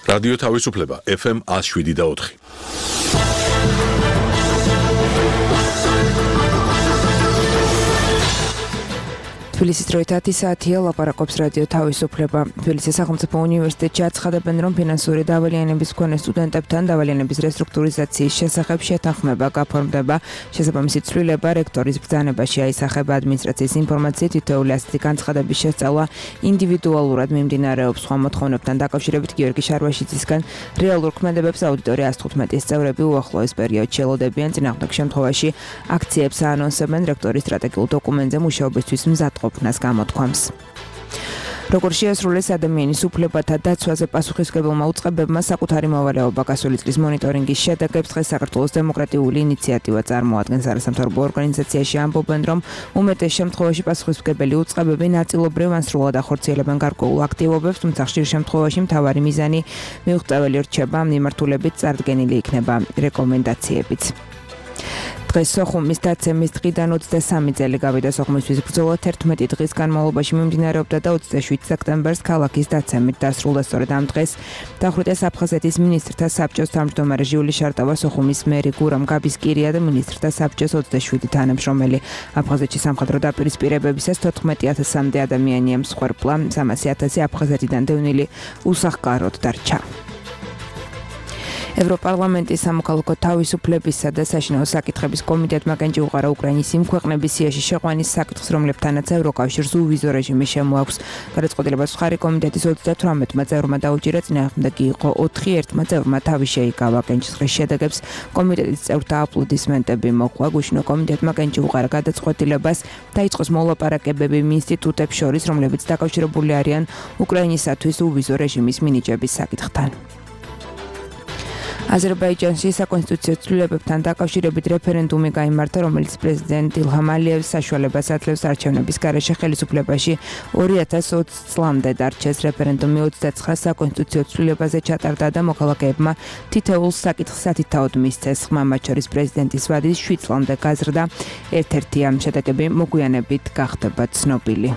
რადიო თავისუფლება FM 107.4. თბილისის დროით 10 საათია ლაპარაკობს რადიო თავისუფლება. თბილისის სახელმწიფო უნივერსიტეტში აცხადებენ, რომ ფინანსური დავალიანების მქონე სტუდენტებთან დავალიანების რესტრუქტურიზაციის შესახებ შეთანხმება გაფორმდება. შესაბამისი ცვლილება რექტორის ბრძანებაში აისახება. ადმინისტრაციის ინფორმაციით თითოეული ასეთი განცხადების შესწავლა ინდივიდუალურად მიმდინარეობს. სხვა მოთხოვნებთან დაკავშირებით გიორგი შარვაშიძისგან რეალურ ქმედებებს აუდიტორია 115-ის წევრები უახლოეს პერიოდში ელოდებიან. წინააღმდეგ შემთხვევაში აქციებს აანონსებენ რექტორის სტრატეგიულ დოკუმენტზე მუშაობისთვის მზადყოფნას გამოთქვამს. როგორ შეასრულეს ადამიანის უფლებათა დაცვაზე პასუხისმგებელმა უწყებებმა საკუთარი მოვალეობა გასული წლის მონიტორინგის შედეგებს დღეს საქართველოს დემოკრატიული ინიციატივა წარმოადგენს. არასამთავრობო ორგანიზაციაში ამბობენ, რომ უმეტეს შემთხვევაში პასუხისმგებელი უწყებები ნაწილობრივ ან სრულად ახორციელებენ გარკვეულ აქტივობებს, თუმცა ხშირ შემთხვევაში მთავარი მიზანი მიუღწეველი რჩება, მიმართულებით წარდგენილი იქნება რეკომენდაციებიც. დღეს სოხუმის დაცემის დღიდან 23 წელი გავიდა. სოხუმისთვის ბრძოლა 11 დღის განმავლობაში მიმდინარეობდა და 27 სექტემბერს ქალაქის დაცემით დასრულდა. სწორედ ამ დღეს დახვრიტეს აფხაზეთის მინისტრთა საბჭოს თავმჯდომარე ჟიული შარტავა, სოხუმის მერი გურამ გაბისკირია და მინისტრთა საბჭოს 27 თანამშრომელი. აფხაზეთში სამხედრო დაპირისპირებებისას 14,000-მდე ადამიანია მსხვერპლა, 300,000 აფხაზეთიდან დევნილი უსახკაროდ დარჩა. ევროპარლამენტის სამოქალაქო თავისუფლებისა და საშინაო საკითხების კომიტეტმა კენჭი უყარა უკრაინის იმ ქვეყნების სიაში შეყვანის საკითხს, რომლებთანაც ევროკავშირს უვიზო რეჟიმი შემოაქვს. გადაწყვეტილებას მხარი კომიტეტის 38 წევრმა დაუჭირა, წინააღმდეგი იყო 4, ერთმა წევრმა თავი შეიკავა. კენჭისყრის შედეგებს კომიტეტის წევრთა აპლოდისმენტები მოყვა. გუშინო კომიტეტმა კენჭი უყარა გადაწყვეტილებას დაიწყოს მოლაპარაკებები ინსტიტუტებს შორის, რომლებიც დაკავშირებული არიან უკრაინისათვის უვიზო რეჟიმის მინიჭების საკითხთან. აზერბაიჯანში საკონსტიტუციო ცვლილებებთან დაკავშირებით რეფერენდუმი გაიმართა, რომელიც პრეზიდენტ ილჰამ ალიევს საშუალებას აძლევს არჩევნების გარეშე ხელისუფლებაში 2020 წლამდე დარჩეს. რეფერენდუმი 29 საკონსტიტუციო ცვლილებაზე ჩატარდა და მოქალაქეებმა თითოეულ საკითხს სათითაოდ მისცეს. ხმა მათ შორის პრეზიდენტის ვადის 7 წლამდე გაზრდა. ერთ-ერთი ამ შედეგები მოგვიანებით გახდება ცნობილი.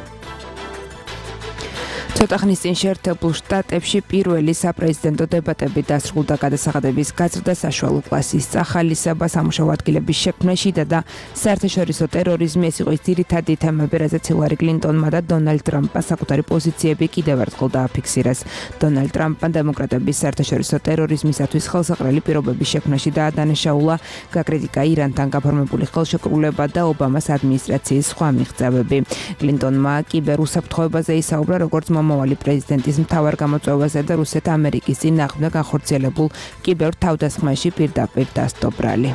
ცოტა ხნის წინ შეერთებულ შტატებში პირველი საპრეზიდენტო დებატები დასრულდა. გადასახადების გაზრდა, საშუალო კლასის წახალისება, სამუშაო ადგილების შექმნა, შიდა და საერთაშორისო ტერორიზმი, ეს იყო ის ძირითადი თემები, რაზეც ჰილარი კლინტონმა და დონალდ ტრამპმა საკუთარი პოზიციები კიდევ ერთხელ დააფიქსირეს. დონალდ ტრამპმა დემოკრატების საერთაშორისო ტერორიზმისათვის ხელსაყრელი პირობების შექმნაში დაადანაშაულა, გაკრიტიკა ირანთან გაფორმებული ხელშეკრულება და ობამას ადმინისტრაციის სხვა მიღწევები. კლინტონმა კიბერუსაფრთხოებაზე ისაუბრა, როგორც მომავალი პრეზიდენტის მთავარ გამოწვევაზე და რუსეთ-ამერიკის წინააღმდეგ ახორციელებულ კიბერ თავდასხმაში პირდაპირ დასტობრალი.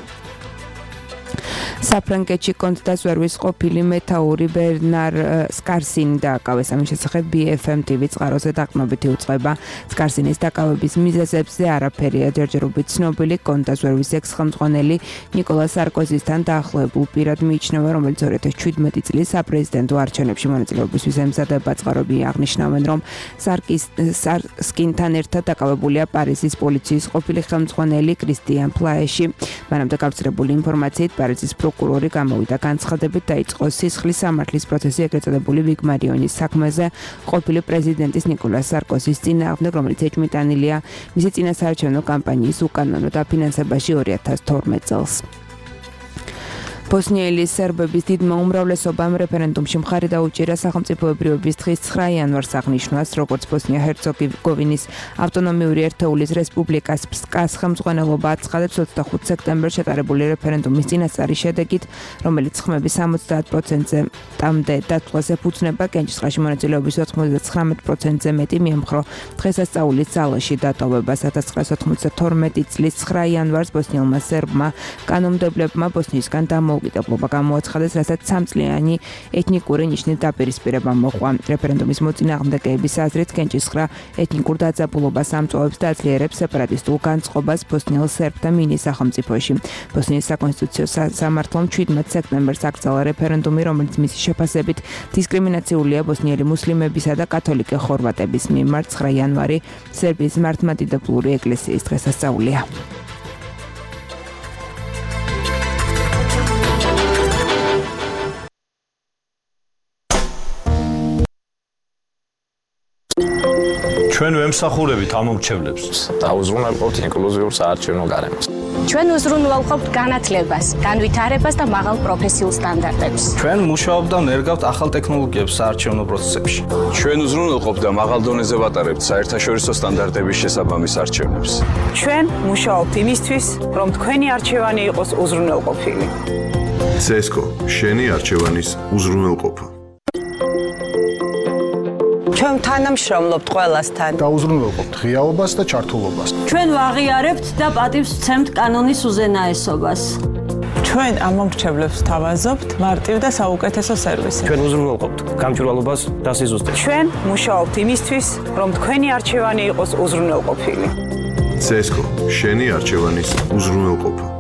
საფრანგეთში კონტრდაზვერვის ყოფილი მეთაური ბერნარ სკარსინი დააკავეს. ამის შესახებ BFM TV წყაროზე დაყრდნობითი უწყება. სკარსინის დაკავების მიზეზებზე არაფერია ჯერჯერობით ცნობილი. კონტრდაზვერვის ექს-ხელმძღვანელი ნიკოლა სარკოზისთან დაახლოებულ პირად მიიჩნევა, რომელიც 2017 წლის საპრეზიდენტო არჩევნებში მონაწილეობისთვის ემზადება. წყაროები აღნიშნავენ, რომ სკარსინთან ერთად დაკავებულია პარიზის პოლიციის ყოფილი ხელმძღვანელი კრისტიან ფლაეში. მანამდე გავრცელებული ინფორმაციით პარიზის პროკურორი გამოვიდა განცხადებით, დაიწყო სისხლის სამართლის პროცესი ეგრეთ წოდებული ვიგმარიონის საქმეზე ყოფილი პრეზიდენტის ნიკოლას სარკოზის წინააღმდეგ, რომელიც ეჭვმიტანილია მისი წინასაარჩევნო კამპანიის უკანონო დაფინანსებაში 2012 წელს. ბოსნიელი სერბების დიდმა უმრავლესობამ რეფერენდუმში მხარი დაუჭირა სახელმწიფოებრიობის დღის 9 იანვარს აღნიშნვას, როგორც ბოსნია-ჰერცეგოვინის ავტონომიური ერთეულის რესპუბლიკას ფსკას ხელმძღვანელობა აცხადებს 25 სექტემბერს ჩატარებული რეფერენდუმის წინასწარი შედეგით, რომელიც ხმების 70%-ზე ტამდე დათვლას ეფუძნება. კენჭისყრაში მონაწილეობის 99%-ზე მეტი მიემხრო დღესასწაულის ძალაში დატოვებას. 1992 წლის 9 იანვარს ბოსნიელმა სერბმა კანონმდებლებმა ბოსნიისგან დამოუკიდებლობა გამოაცხადეს, რასაც 3 წლიანი ეთნიკური ნიშნით დაპირისპირება მოყვა. რეფერენდუმის მოწინააღმდეგეების აზრით კენჭისყრა ეთნიკურ დაძაბულობას ამწვავებს და აძლიერებს სეპარატისტულ განწყობას ბოსნიელ სერბთა მინი სახელმწიფოში. ბოსნიის საკონსტიტუციო სამართლომ 17 სექტემბერს აკრძალა რეფერენდუმი, რომელიც მისი შეფასებით დისკრიმინაციულია ბოსნიელი მუსლიმებისა და კათოლიკე ხორვატების მიმართ. 9 იანვარი სერბიის მართლმადიდებლური ეკლესიის დღესასწაულია. ჩვენ ვემსახურებით ამ მომრჩევლებს. დაუზრუნველყოფთ ინკლუზიურ საარჩევნო გარემოს. ჩვენ უზრუნველყოფთ განათლებას, განვითარებას და მაღალ პროფესიულ სტანდარტებს. ჩვენ მუშაობთ და ნერგავთ ახალ ტექნოლოგიებს საარჩევნო პროცესებში. ჩვენ უზრუნველყოფთ და მაღალ დონეზე ვატარებთ საერთაშორისო სტანდარტების შესაბამის არჩევნებს. ჩვენ მუშაობთ იმისთვის, რომ თქვენი არჩევანი იყოს უზრუნველყოფილი. CESCO, შენი არჩევანის უზრუნველყოფა. ჩვენ თანამშრომლობთ ყველასთან. დაუზრუნველყოფთ ღიაობას და ჩართულობას. ჩვენ ვაღიარებთ და პატივს ვცემთ კანონის უზენაესობას. ჩვენ ამ მომრჩევლებს ვთავაზობთ მარტივ და საუკეთესო სერვისი. ჩვენ უზრუნველყოფთ გამჭვირვალობას და სიზუსტეს. ჩვენ მუშაობთ იმისთვის, რომ თქვენი არჩევანი იყოს უზრუნველყოფილი. CESCO, შენი არჩევანის უზრუნველყოფა.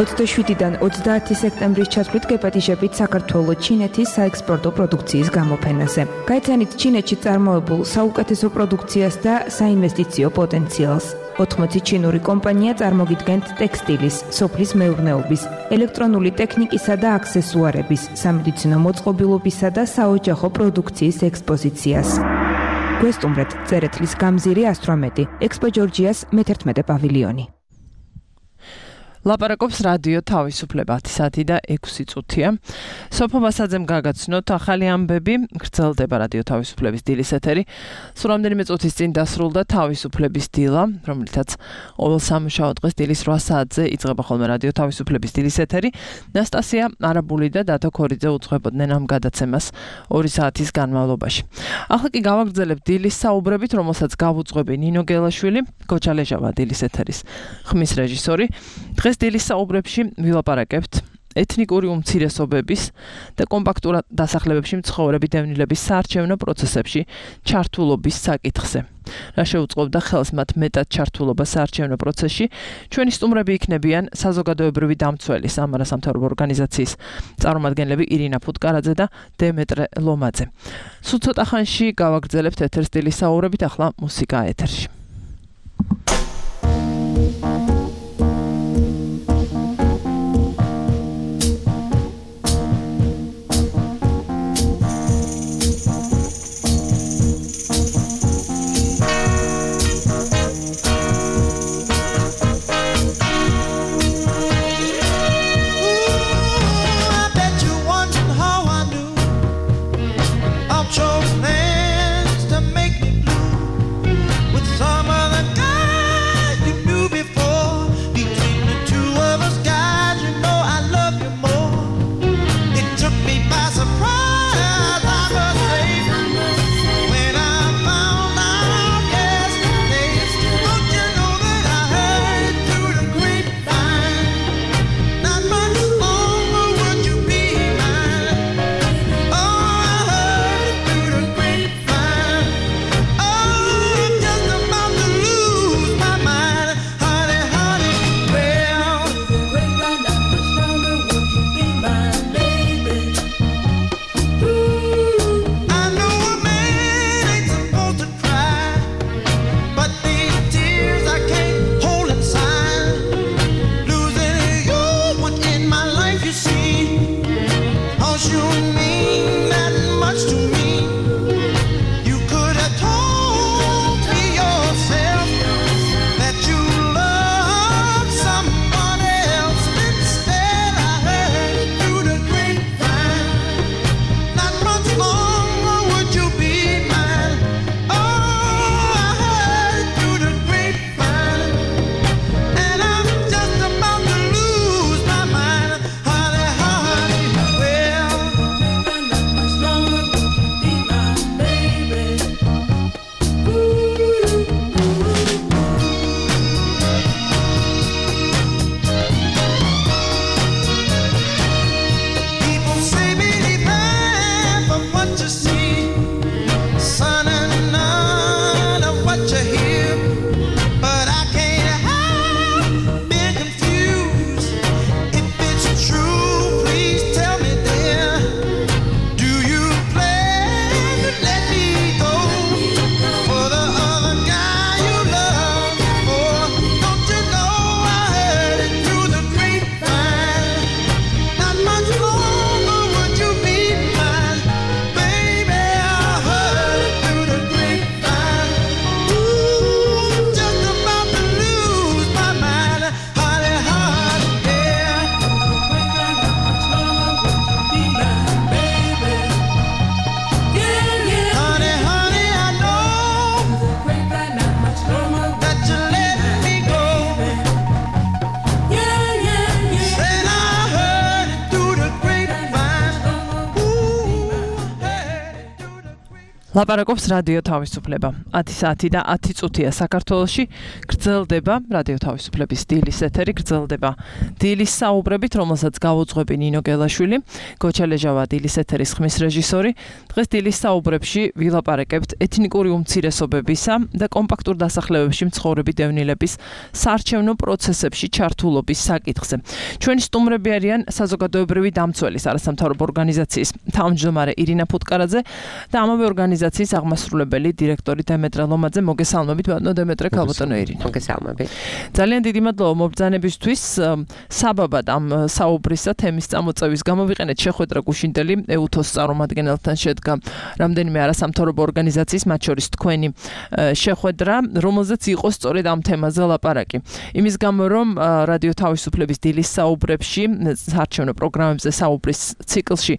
27-დან 30 სექტემბრის ჩათვლით გეპატიჟებით საქართველოს ჩინეთის საექსპორტო პროდუქციის გამოფენაზე. გაიცანით ჩინეთში წარმოებულ საუკეთესო პროდუქციას და საინვესტიციო პოტენციალს. 80 ჩინური კომპანია წარმოგიდგენთ ტექსტილის, სოფლის მეურნეობის, ელექტრონული ტექნიკისა და აქსესუარების, სამედიცინო მოწყობილობისა და საოჯახო პროდუქციის ექსპოზიციას. გვესტუმრეთ წერეთლის გამზირი 118, ექსპო ჯორჯიას მე-11 პავილიონი. ლაპარაკობს რადიო თავისუფლება 10 საათი და 6 წუთია. სოფო მასაძემ გაგაცნოთ ახალი ამბები, გრძელდება რადიო თავისუფლების დილის ეთერი. სულ რამდენიმე წუთის წინ დასრულდა თავისუფლების დილა, რომლითაც ყოველ სამუშაო დღეს დილის 8 საათზე იწყება ხოლმე რადიო თავისუფლების დილის ეთერი. ნასტასია არაბული და დათო ქორიძე უძღვებოდნენ ამ გადაცემას 2 საათის განმავლობაში. ახლა კი გავაგრძელებთ დილის საუბრებით, რომელსაც გავუძღვები ნინო გელაშვილი, გოჩალეჟავა დილის ეთერის ხმის რეჟისორი. დღეს დილის საუბრებში ვილაპარაკებთ ეთნიკური უმცირესობების და კომპაქტურ დასახლებებში მცხოვრები დევნილების საარჩევნო პროცესებში ჩართულობის საკითხზე. რა შეუწყობდა ხელს მათ მეტად ჩართულობა საარჩევნო პროცესში? ჩვენი სტუმრები იქნებიან საზოგადოებრივი დამცველი სამარა სამთავრობო ორგანიზაციის წარმომადგენლები ირინა ფუტკარაძე და დემეტრე ლომაძე. სულ ცოტა ხანში გავაგრძელებთ ეთერს დილის საუბრებით, ახლა მუსიკა ეთერში. Chose plans to make me blue with some ლაპარაკობს რადიო თავისუფლება. 10 საათი და 10 წუთია საქართველოში. გრძელდება რადიო თავისუფლების დილის ეთერი, გრძელდება დილის საუბრებით, რომელსაც გაუძღვები ნინო გელაშვილი, გოჩალეჟავა დილის ეთერის ხმის რეჟისორი. დღეს დილის საუბრებში ვილაპარაკებთ ეთნიკური უმცირესობებისა და კომპაქტურ დასახლებებში მცხოვრები დევნილების საარჩევნო პროცესებში ჩართულობის საკითხზე. ჩვენი სტუმრები არიან საზოგადოებრივი დამცველის არასამთავრობო ორგანიზაციის თავმჯდომარე ირინა ფუტკარაძე და ამავე ორგანიზაციის აღმასრულებელი დირექტორი დემეტრე ლომაძე. მოგესალმებით ბატონო დემეტრე, ქალბატონო ირინა. მოგესალმებით. ძალიან დიდი მადლობა მობრძანებისთვის. საბაბად ამ საუბრისა თემის წამოწევის გამო ვიყენეთ შეხვედრა გუშინდელი ეუთოს წარმომადგენელთან შედგა რამდენიმე არასამთავრობო ორგანიზაციის, მათ შორის თქვენი შეხვედრა, რომელზეც იყო სწორედ ამ თემაზე ლაპარაკი. იმის გამო რომ რადიო თავისუფლების დილის საუბრებში, საარჩევნო პროგრამებზე საუბრის ციკლში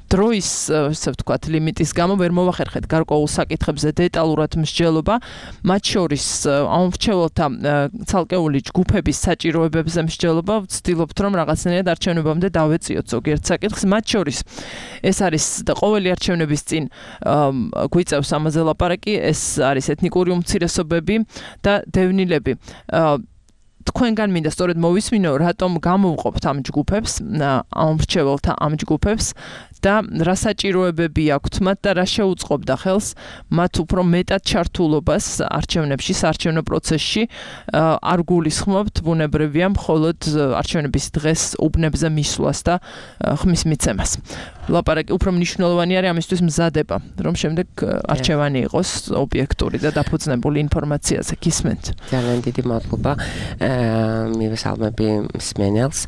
დროის, ასე ვთქვათ, ლიმიტის გამო ვერ მოვახერხეთ გარკვეულ საკითხებზე დეტალურად მსჯელობა, მათ შორის ამ მრჩეველთა ცალკეული ჯგუფების საჭიროებებზე მსჯელობა, ვცდილობთ რომ რაღაცნაირად არჩევნებამდე დავეწიოთ ზოგიერთ საკითხს, მათ შორის ეს არის და ყოველი არჩევნების წინ გვიწევს ამაზე ლაპარაკი, ეს არის ეთნიკური უმცირესობები და დევნილები. თქვენგან მინდა სწორედ მოვისმინო, რატომ გამოვყოფთ ამ ჯგუფებს, ამ მრჩეველთა ამ ჯგუფებს და რა საჭიროებები აქვთ მათ და რა შეუწყობდა ხელს მათ უფრო მეტად ჩართულობას არჩევნებში, საარჩევნო პროცესში არ გულისხმობთ ბუნებრივია მხოლოდ არჩევნების დღეს უბნებზე მისვლას და ხმის მიცემას. ლაპარაკი უფრო მნიშვნელოვანი არის ამისთვის მზადება, რომ შემდეგ არჩევანი იყოს ობიექტური და დაფუძნებული ინფორმაციაზე. გისმენთ. ძალიან დიდი მადლობა. მივესალმები მსმენელს.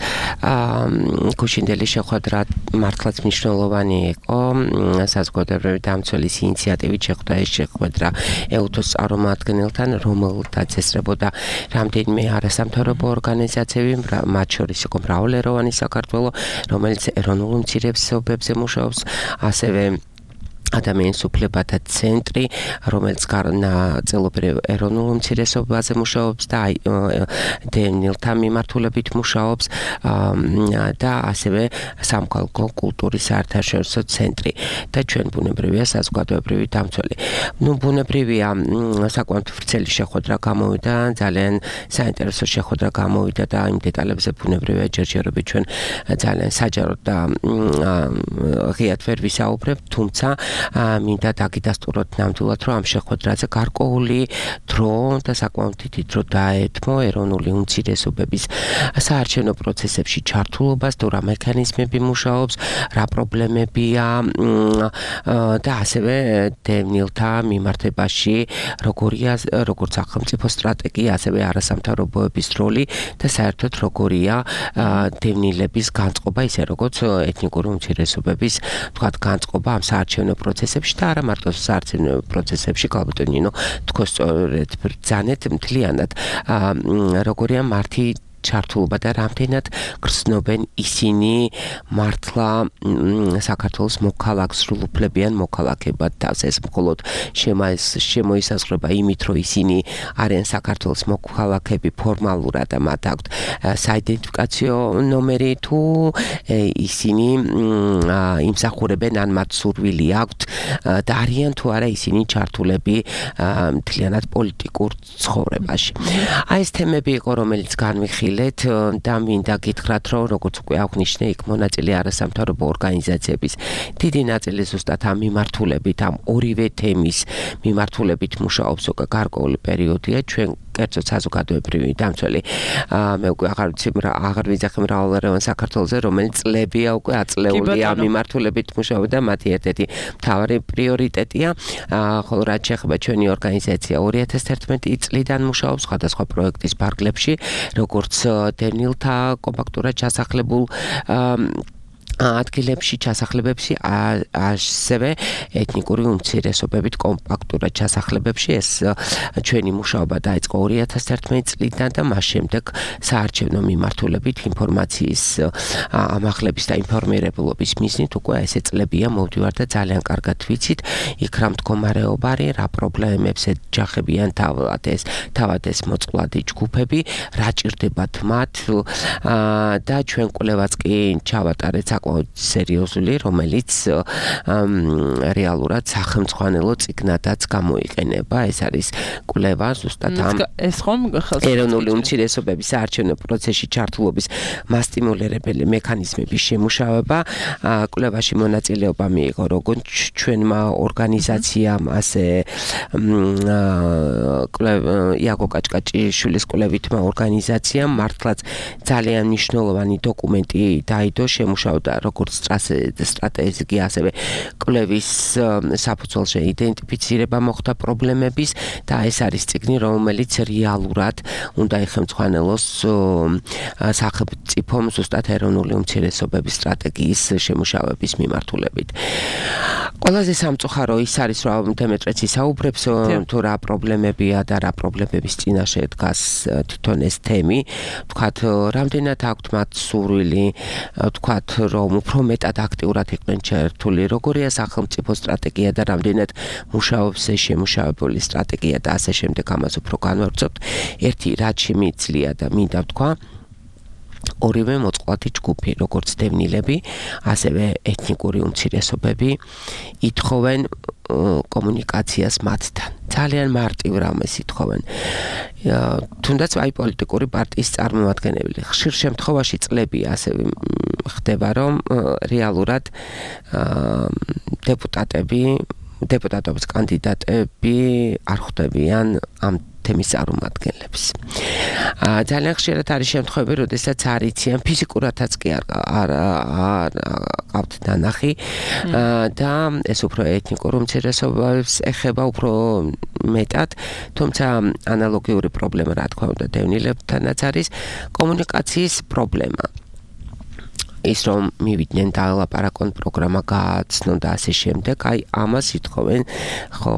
გუშინდელი შეხვედრა მართლაც მნიშვნელოვანი იყო. საზოგადოებრივი დამცველის ინიციატივით შეხვდა ეს შეხვედრა ეუთოს წარმომადგენელთან, რომელთაც ესწრებოდა რამდენიმე არასამთავრობო ორგანიზაციები, მათ შორის იყო მრავალეროვანი საქართველო, რომელიც ეროვნულ უმცირესობებზე მუშაობს, ასევე ადამიანის უფლებათა ცენტრი, რომელიც ნაწილობრივ ეროვნულ უმცირესობაზე მუშაობს და დევნილთა მიმართულებით მუშაობს და ასევე სამხალხო კულტურის საერთაშორისო ცენტრი და ჩვენ ბუნებრივია საზოგადოებრივი დამცველი. ბუნებრივია საკმაოდ ვრცელი შეხვედრა გამოვიდა, ძალიან საინტერესო შეხვედრა გამოვიდა და იმ დეტალებზე ბუნებრივია ჯერჯერობით ჩვენ ძალიან საჯაროდ და ღიად ვერ ვისაუბრებთ, თუმცა მინდა დაგიდასტუროთ ნამდვილად, რომ ამ შეხვედრაზე გარკვეული დრო და საკმაოდ დიდი დრო დაეთმო ეროვნული უმცირესობების საარჩევნო პროცესებში ჩართულობას, თუ რა მექანიზმები მუშაობს, რა პრობლემებია და ასევე დევნილთა მიმართებაში როგორც სახელმწიფო სტრატეგია, ასევე არასამთავრობოების როლი და საერთოდ როგორია დევნილების განწყობა, ისე როგორც ეთნიკური უმცირესობების თქვათ განწყობა ამ საარჩევნო პროცესებში და არა მარტო საარჩევნო პროცესებში, ქალბატონო ნინო, თქვენ სწორედ ბრძანეთ მთლიანად როგორია მართი ჩართულობა და რამდენად გრძნობენ ისინი მართლა საქართველოს მოქალაქ სრულუფლებიან მოქალაქებად თავს. ეს მხოლოდ შემოისაზღვრება იმით, რომ ისინი არიან საქართველოს მოქალაქები ფორმალურად და მათ აქვთ საიდენტიფიკაციო ნომერი, თუ ისინი იმსახურებენ ან მათ სურვილი აქვთ და არიან თუ არა ისინი ჩართულები მთლიანად პოლიტიკურ ცხოვრებაში. ეს თემები იყო, რომელიც განვიხილეთ და მინდა გითხრათ, რომ როგორც უკვე აღნიშნე, იქ მონაწილე არასამთავრობო ორგანიზაციების დიდი ნაწილი ზუსტად ამ მიმართულებით, ამ ორივე თემის მიმართულებით მუშაობს უკვე გარკვეული პერიოდია. ჩვენ კერძოდ საზოგადოებრივი დამცველი მე უკვე აღარ ვიძახი მრავალეროვან საქართველოზე, რომელიც წლებია უკვე აწლეულია ამ მიმართულებით მუშაობა და მათი ერთ-ერთი მთავარი პრიორიტეტია. ხოლო რაც შეეხება ჩვენი ორგანიზაცია 2011 წლიდან მუშაობს სხვადასხვა პროექტის ფარგლებში, როგორც დევნილთა კომპაქტურად ჩასახლებულ ადგილებში ჩასახლებებში, ასევე ეთნიკური უმცირესობებით კომპაქტურად ჩასახლებებში. ეს ჩვენი მუშაობა დაიწყო 2011 წლიდან და მას შემდეგ საარჩევნო მიმართულებით ინფორმაციის ამაღლების და ინფორმირებულობის მიზნით უკვე ესე წლებია მოვდივარ და ძალიან კარგად ვიცით იქ რა მდგომარეობა არის, რა პრობლემებს ეჯახებიან თავად ეს მოწყვლადი ჯგუფები, რა ჭირდებათ მათ და ჩვენ კვლევაც კი ჩავატარეთ საკმაოდ იყო სერიოზული, რომელიც რეალურად სახელმწიფო წიგნადაც გამოიყენება. ეს არის კვლევა ზუსტად ამ ეს ხომ ეროვნული უმცირესობების საარჩევნო პროცესში ჩართულობის მასტიმულირებელი მექანიზმების შემუშავება. კვლევაში მონაწილეობა მიიღო როგორც ჩვენმა ორგანიზაციამ, ასე იაკო კაჭკაჭიშვილის კვლევითმა ორგანიზაციამ მართლაც ძალიან მნიშვნელოვანი დოკუმენტი დაიდო, შემუშავდა როგორც სტრატეგია, ასევე კვლევის საფუძველზე იდენტიფიცირება მოხდა პრობლემების და ეს არის წიგნი, რომელიც რეალურად უნდა იხელმძღვანელოს სახელმწიფომ ზუსტად ეროვნული უმცირესობების სტრატეგიის შემუშავების მიმართულებით. ყველაზე სამწუხარო ის არის, რომ დემეტრეც ისაუბრებს თუ რა პრობლემებია და რა პრობლემების წინაშე დგას თვითონ ეს თემი. ვთქვათ, რამდენად აქვთ მათ სურვილი, ვთქვათ, რომ უფრო მეტად აქტიურად იყვნენ ჩართული, როგორია სახელმწიფო სტრატეგია და რამდენად მუშაობს ეს შემუშავებული სტრატეგია და ასე შემდეგ. ამას უფრო განვავრცობთ. ერთი რაც შემიძლია და მინდა ვთქვა, ორივე მოწყვლადი ჯგუფი, როგორც დევნილები, ასევე ეთნიკური უმცირესობები ითხოვენ კომუნიკაციას მათთან. ძალიან მარტივ რამეს ითხოვენ. თუნდაც აი პოლიტიკური პარტიის წარმომადგენელი. ხშირ შემთხვევაში წლები ასევე ხდება, რომ რეალურად დეპუტატობის კანდიდატები არ ხვდებიან ამ თემის წარმომადგენლებს. ძალიან ხშირად არის შემთხვევები, როდესაც არ იციან ფიზიკურადაც კი არ ყავთ დანახი და ეს უფრო ეთნიკურ უმცირესობებს ეხება უფრო მეტად, თუმცა ანალოგიური პრობლემა რა თქმა უნდა დევნილებთანაც არის კომუნიკაციის პრობლემა. ის რომ მივიდნენ და ლაპარაკონ პროგრამა გააცნონ და ასე შემდეგ, აი ამას ითხოვენ, ხო,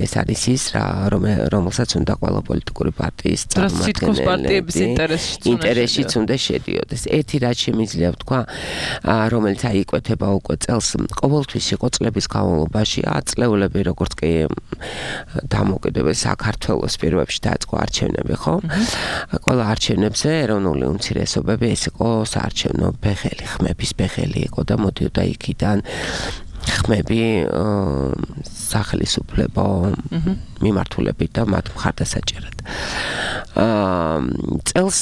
ეს არის ის რა, რომელსაც უნდა ყველა პოლიტიკური პარტიის წარმომადგენლების ინტერესშიც უნდა შედიოდეს. ერთი რაც შემიძლია ვთქვა, რომელიც აი იკვეთება უკვე წელს, ყოველთვის იყო წლების განმავლობაში აწლეულები, როგორც კი დამოუკიდებელ საქართველოს პირობებში დაიწყო არჩევნები, ხო? ყველა არჩევნებზე ეროვნული უმცირესობები ეს იყო საარჩევნო ხმების ბეხელი იყო და მოდიოდა იქიდან ხმები სახელმწიფო მიმართულებით და მათ მხარდასაჭერად. წელს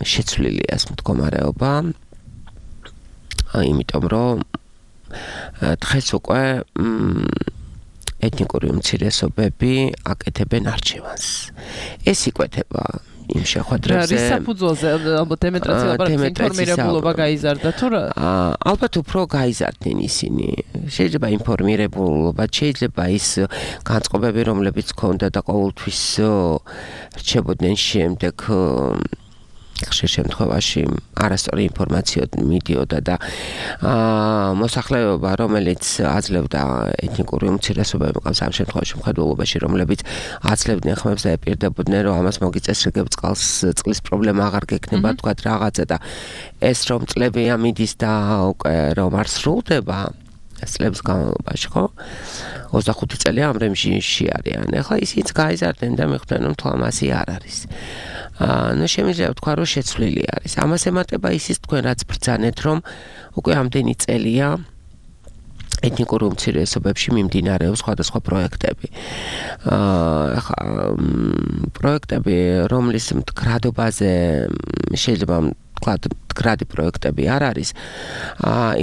შეცვლილია ეს მდგომარეობა, იმიტომ რომ დღეს უკვე ეთნიკური უმცირესობები აკეთებენ არჩევანს. ეს იკვეთება იმ შეხვედრებზე. რის საფუძველზე ალბათ ინფორმირებულობა გაიზარდა თუ რა? ალბათ უფრო გაიზარდნენ ისინი. შეიძლება ინფორმირებულობა, შეიძლება ის განწყობები, რომლებიც ჰქონდა და ყოველთვის რჩებოდნენ შემდეგ ხშირ შემთხვევაში არასწორი ინფორმაცია მიდიოდა და მოსახლეობა, რომელიც აძლევდა ეთნიკური უმცირესობები, ყავს ამ შემთხვევაში მხედველობაში, რომლებიც აძლევდნენ ხმებს და ეპირდებოდნენ, რომ ამას მოგიწეს რიგებ წყლის პრობლემა აღარ გექნება, თქვათ რაღაცა და ეს რომ წლებია მიდის და უკვე რომ არ სრულდება წლების განმავლობაში, ხო? 25 წელი ამ რეჟიმში არიან. ეხლა ისიც გაიზარდნენ და მიხვდნენ, რომ თვალმასი არ არის. ნუ შემიძლია ვთქვა, რომ შეცვლილი არის. ამას ემატება ისიც თქვენ რაც ბრძანეთ, რომ უკვე ამდენი წელია ეთნიკურ უმცირესობებში მიმდინარეობს სხვადასხვა პროექტები. ახლა პროექტები, რომლის მდგრადობაზე შეიძლება მდგრადი პროექტები არ არის,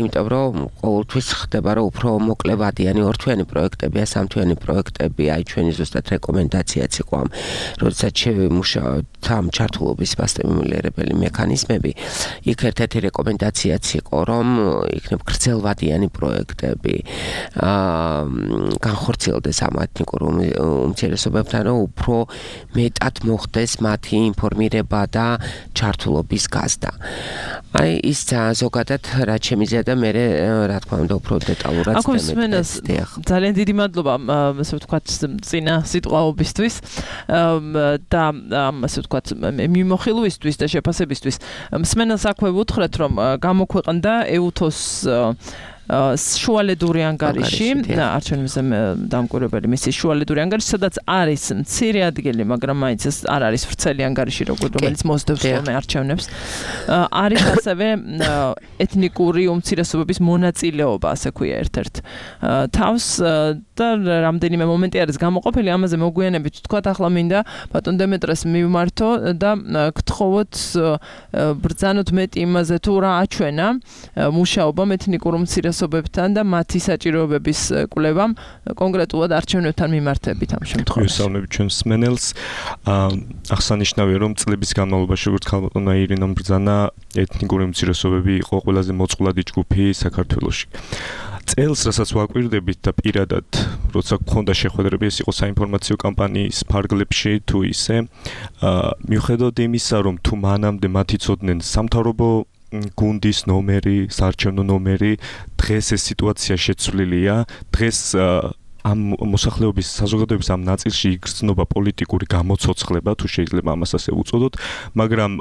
იმიტომ რომ ყოველთვის ხდება, რომ უფრო მოკლევადიანი ორთვიანი პროექტებია, სამთვიანი პროექტები, აი ჩვენი ზუსტად რეკომენდაციაც იყო ამ, როდესაც შევიმუშავოთ ამ ჩართულობის მასტიმულირებელი მექანიზმები, იქ ერთ-ერთი რეკომენდაციაც იყო, რომ იქნებ გრძელვადიანი პროექტები, განხორციელდეს ამ ეთნიკურ უმცირესობებთან, რომ უფრო მეტად მოხდეს მათი ინფორმირება და ჩართულობის გაზრდა. აი ის ზოგადად რაც შემიძლია და მე რა თქმა უნდა უფრო დეტალურად ძალიან დიდი მადლობა ასე ვთქვათ წინა სიტყვაობისთვის და ასე ვთქვათ მიმოხილვისთვის და შეფასებისთვის. მსმენელს აქვე ვუთხრეთ, რომ გამოქვეყნდა EUTHOS შუალედური ანგარიში, არჩევნებზე დამკვირვებელი მისიის შუალედური ანგარიში, სადაც არის მცირე ადგილი, მაგრამ მაინც ეს არ არის ვრცელი ანგარიში, რომელიც მოსდევს ხოლმე არჩევნებს. არის ასევე ეთნიკური უმცირესობების მონაწილეობა, ასე ქვია ერთ-ერთ თავს და რამდენიმე მომენტი არის გამოყოფილი, ამაზე მოგვიანებით ვთქვათ, ახლა მინდა ბატონ დემეტრეს მივმართო და გთხოვოთ ბრძანოთ მეტი იმაზე თუ რა აჩვენა მუშაობამ ეთნიკურ უმცირესობებთან და მათი საჭიროებების კვლევამ კონკრეტულად არჩევნებთან მიმართებით ამ შემთხვევაში. ვისაუბრებ ჩვენს მსმენელს, აღსანიშნავია რომ წლების განმავლობაში როგორც ქალბატონმა ირინამ ბრძანა ეთნიკური უმცირესობები იყო ყველაზე მოწყვლადი ჯგუფი საქართველოში. წელს, რასაც ვაკვირდებით და პირადად, როცა გქონდა შეხვედრები, ეს იყო საინფორმაციო კამპანიის ფარგლებში თუ ისე, მიუხედავად იმისა, რომ თუ მანამდე მათ იცოდნენ სამთავრობო გუნდის ნომერი, საარჩევნო ნომერი, დღეს ეს სიტუაცია შეცვლილია, დღეს ამ მოსახლეობის საზოგადოების ამ ნაწილში იგრძნობა პოლიტიკური გამოცოცხლება, თუ შეიძლება ამას ასე უწოდოთ, მაგრამ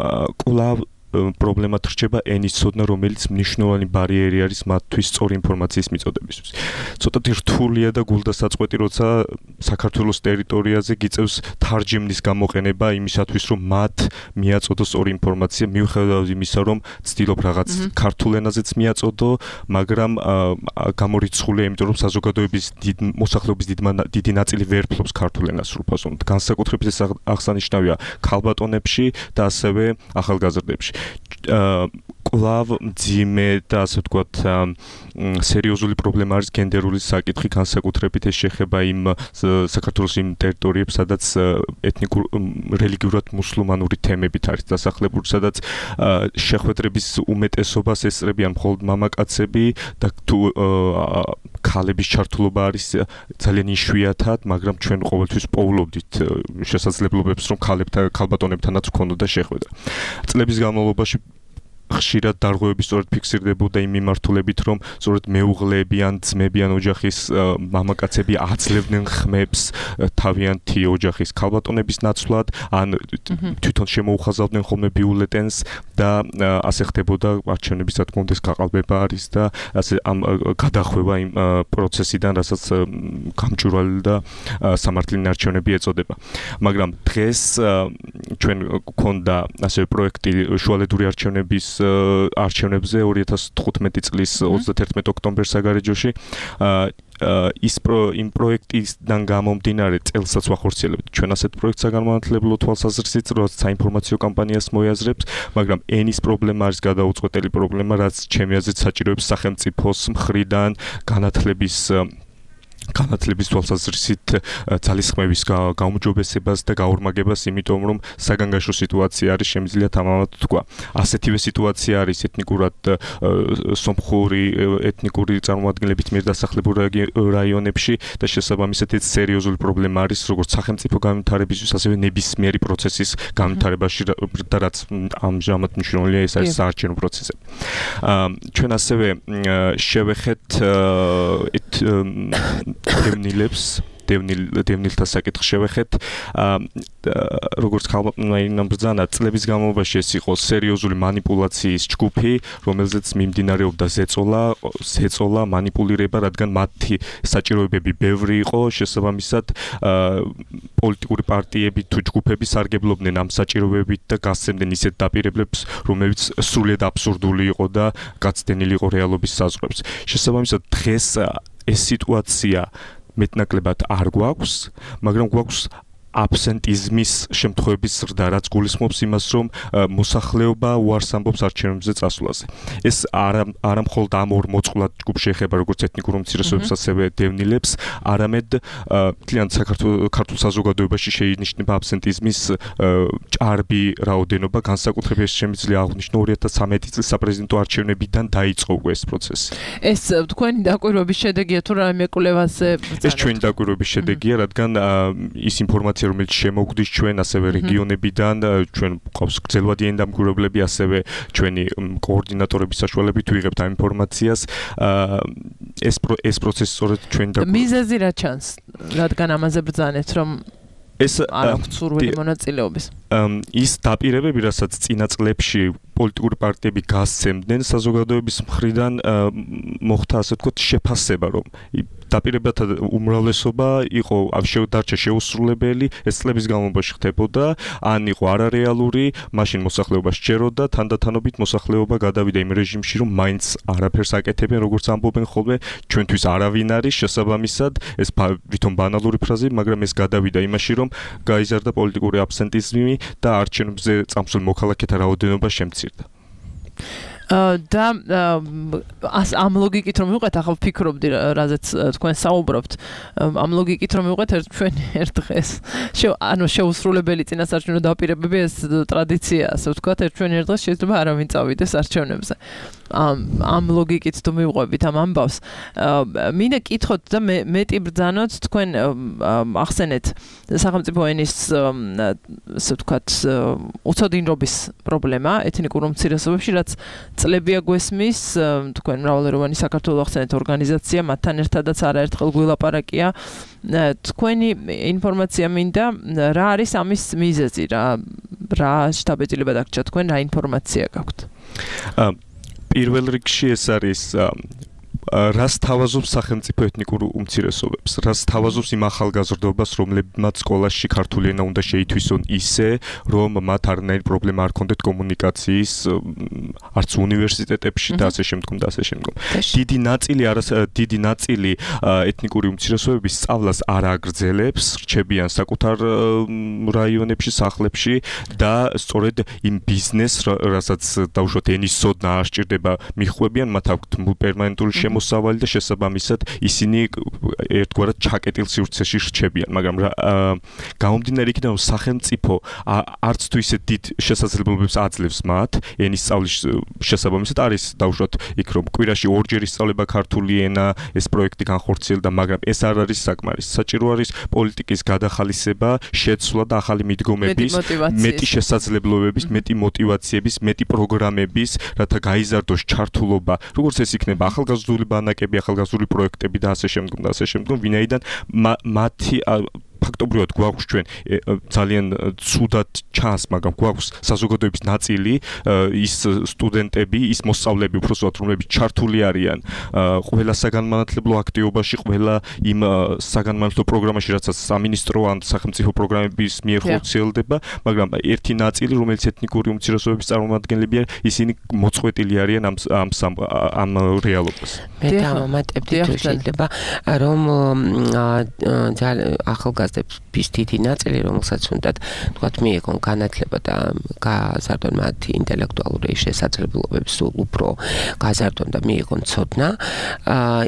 კვლავ პრობლემად რჩება ენის ცოდნა, რომელიც მნიშვნელოვანი ბარიერი არის მათთვის სწორი ინფორმაციის მიწოდებისთვის. ცოტათი რთულია და გულდასაწყვეტი, როცა საქართველოს ტერიტორიაზე გიწევს თარჯიმნის გამოყენება იმისათვის, რომ მათ მიაწოდოს სწორი ინფორმაცია, მიუხედავად იმისა, რომ ცდილობ რაღაც ქართულ ენაზეც მიაწოდო, მაგრამ გამორიცხულია, იმიტომ რომ საზოგადოების მოსახლეობის დიდი ნაწილი ვერ ფლობს ქართულ ენას სრულფასოვნად. განსაკუთრებით ეს აღსანიშნავია ქალბატონებში და ასევე ახალგაზრდებში. კვლავ მძიმე და ასე ვთქვათ სერიოზული პრობლემა არის გენდერული საკითხი, განსაკუთრებით ეს შეეხება იმ საქართველოს იმ ტერიტორიებს, სადაც ეთნიკურ რელიგიურად მუსლიმანური თემებით არის დასახლებული, სადაც შეხვედრების უმეტესობას ესწრებიან მხოლოდ მამაკაცები და თუ ქალების ჩართულობა არის ძალიან იშვიათად, მაგრამ ჩვენ ყოველთვის პოულობდით შესაძლებლობებს, რომ ქალბატონებთანაც ვქონოდა შეხვედრა. წლების განმავლობაში ხშირად დარღვევები სწორედ ფიქსირდებოდა იმ მიმართულებით, რომ სწორედ მეუღლეები ან ძმები ან ოჯახის მამაკაცები აძლევდნენ ხმებს თავიანთი ოჯახის ქალბატონების ნაცვლად, ან თვითონ შემოუხაზავდნენ ხოლმე ბიულეტენს და ასე ხდებოდა არჩევნების რა თქმა უნდა გაყალბება არის და ასე ამ გადახვევა იმ პროცესიდან, რასაც გამჭვირვალე და სამართლიანი არჩევნები ეწოდება. მაგრამ დღეს ჩვენ გქონდა ასე პროექტი შუალედური არჩევნების არჩევნებზე 2015 წლის 31 ოქტომბერს საგარეჯოში იმ პროექტისგან გამომდინარე წელსაც ვახორციელებთ ჩვენ ასეთ პროექტს საგანმანათლებლო თვალსაზრისით, რაც საინფორმაციო კამპანიას მოიაზრებს, მაგრამ ენის პრობლემა არის გადაუწყვეტელი პრობლემა, რაც ჩემი აზრით საჭიროებს სახელმწიფოს მხრიდან განათლების თვალსაზრისით ძალისხმევის გაუმჯობესებას და გაორმაგებას, იმიტომ რომ საგანგაშო სიტუაცია არის, შემიძლია თამამად თქვა. ასეთივე სიტუაცია არის ეთნიკურად სომხური ეთნიკური წარმომადგენლებით მიერ დასახლებულ რაიონებში და შესაბამისად ეს სერიოზული პრობლემა არის როგორც სახელმწიფო განვითარებისთვის, ასევე ნებისმიერი პროცესის განვითარებაში და რაც ამჟამად მნიშვნელოვანია, ეს არის საარჩევნო პროცესები. ჩვენ ასევე შევეხეთ დევნილთა საკითხს შევეხეთ, როგორც ქალბატონმა ბრძანა, წლების განმავლობაში ეს იყო სერიოზული მანიპულაციის ჯგუფი, რომელზეც მიმდინარეობდა ზეწოლა, მანიპულირება, რადგან მათი საჭიროებები ბევრი იყო, შესაბამისად პოლიტიკური პარტიები თუ ჯგუფები სარგებლობდნენ ამ საჭიროებებით და გასცემდნენ ისეთ დაპირებებს, რომელიც სრულიად აბსურდული იყო და გაცდენილი იყო რეალობის საზღვრებს. შესაბამისად დღეს ეს სიტუაცია მეტნაკლებად არ გვაქვს, მაგრამ გვაქვს აბსენტიზმის შემთხვევების ზრდა, რაც გულისხმობს იმას, რომ მოსახლეობა უარს ამბობს არჩევნებზე წასვლაზე. ეს არა მხოლოდ ამ ორ მოწყვლად ჯგუფს შეეხება, როგორც ეთნიკურ უმცირესობებს, ასევე დევნილებს, არამედ მთლიან ქართულ საზოგადოებაში შეინიშნება აბსენტიზმის ჭარბი რაოდენობა, განსაკუთრებით შემიძლია აღვნიშნო 2013 წლის საპრეზიდენტო არჩევნებიდან დაიწყო ეს პროცესი. ეს თქვენი დაკვირვების შედეგია თუ რამე კვლევაზე? ეს ჩვენი დაკვირვების შედეგია, რადგან ის ინფორმაცია რომელიც შემოგვდის ჩვენ ასევე რეგიონებიდან, ჩვენ ყავს გრძელვადიანი დამკვირვებლები, ასევე ჩვენი კოორდინატორების საშუალებით ვიღებთ ამ ინფორმაციას. ეს პროცესი სწორედ ჩვენი დაკვირვება. მიზეზი რა ჩანს, რადგან ამაზე ბრძანეთ, რომ არ აქვს სურვილი მონაწილეობის? ის დაპირებები, რასაც წინა წლებში პოლიტიკური პარტიები გასცემდნენ საზოგადოების მხრიდან მოხდა ასე ვთქვათ შეფასება, რომ დაპირებათა უმრავლესობა იყო დარჩა შეუსრულებელი, ეს წლების განმავლობაში ხდებოდა, ან იყო არარეალური, მაშინ მოსახლეობა სჯეროდა, თანდათანობით მოსახლეობა გადავიდა იმ რეჟიმში, რომ მაინც არაფერს აკეთებენ, როგორც ამბობენ ხოლმე, ჩვენთვის არავინ არის შესაბამისად, ეს ვითომ ბანალური ფრაზები, მაგრამ ეს გადავიდა იმაში, რომ გაიზარდა პოლიტიკური აბსენტიზმი და არჩევნებზე წამსვლელ მოქალაქეთა რაოდენობა შემცირდა. და ამ ლოგიკით რომ მივყვეთ, ახლა ვფიქრობდი, რაზეც თქვენ საუბრობთ, ამ ლოგიკით რომ მივყვეთ ჩვენ ერთ დღეს შეუსრულებელი წინასარჩევნო დაპირებები ეს ტრადიციაა, ასე ვთქვათ, ჩვენ ერთ დღეს შეიძლება არავინ წავიდეს არჩევნებზე. ამ ლოგიკით თუ მივყვებით ამ ამბავს, მინდა კითხოთ და მეტი ბრძანოთ თქვენ ახსენეთ სახელმწიფო ენის ასე ვთქვათ უცოდინრობის პრობლემა ეთნიკურ უმცირესობებში, რაც წლებია გვესმის, თქვენ მრავალეროვანი საქართველოს ახსენეთ ორგანიზაცია, მათთან ერთადაც არაერთხელ გვილაპარაკია. თქვენი ინფორმაცია მინდა, რა არის ამის მიზეზი, რა შტაბ-ეწილება დაგჭირდა თქვენ, რა ინფორმაცია გაქვთ? პირველ რიგში ეს არის რას თავაზობს სახელმწიფო ეთნიკურ უმცირესობებს, რას თავაზობს იმ ახალგაზრდობას, რომლებმაც სკოლაში ქართული ენა უნდა შეითვისონ ისე, რომ მათ არანაირი პრობლემა არ ქონდეთ კომუნიკაციის, არც უნივერსიტეტებში და ასე შემდგომ და ასე შემდგომ. დიდი ნაწილი ეთნიკური უმცირესობების სწავლას არ აგრძელებს, რჩებიან საკუთარ რაიონებში, სახლებში და სწორედ იმ ბიზნესს, რასაც დაუშვათ ენის ცოდნა არ სჭირდება, მიხვევიან, მათ აქვთ პერმანენტული მოსავალი და შესაბამისად ისინი ერთგვარად ჩაკეტილ სივრცეში რჩებიან, მაგრამ გამომდინარე იქიდან, რომ სახელმწიფო არც თუ ისე დიდ შესაძლებლობებს აძლევს მათ ენის სწავლის შესაბამისად არის დაუშვათ იქ რომ კვირაში ორჯერ ისწავლება ქართული ენა, ეს პროექტი განხორციელდა, მაგრამ ეს არ არის საკმარისი. საჭირო არის პოლიტიკის გადახალისება, შეცვლა და ახალი მიდგომების, მეტი შესაძლებლობების, მეტი მოტივაციების, მეტი პროგრამების, რათა გაიზარდოს ჩართულობა, როგორც ეს იქნება ახალგაზრდული ბანაკები, ახალგაზრდული პროექტები და ასე შემდგომ, ვინაიდან მათი ფაქტობრივად გვაქვს ჩვენ ძალიან ცუდად ჩანს, მაგრამ გვაქვს საზოგადოების ნაწილი, ის სტუდენტები, ის მოსწავლეები, უბრალოდ რომლებიც ჩართული არიან ყველა საგანმანათლებლო აქტივობაში, ყველა იმ საგანმანათლებლო პროგრამაში, რასაც სამინისტრო ან სახელმწიფო პროგრამების მიერ ხორციელდება, მაგრამ ერთი ნაწილი, რომელიც ეთნიკური უმცირესობების წარმომადგენლები არიან, ისინი მოწყვეტილი არიან ამ რეალობას. მე დამატებდი თუ შეიძლება, რომ ახალგაზრდების დიდი ნაწილი, რომელსაც უნდათ თქვათ მიიღონ განათლება და გაზარდონ მათი ინტელექტუალური შესაძლებლობების უფრო გაზარდონ და მიიღონ ცოდნა,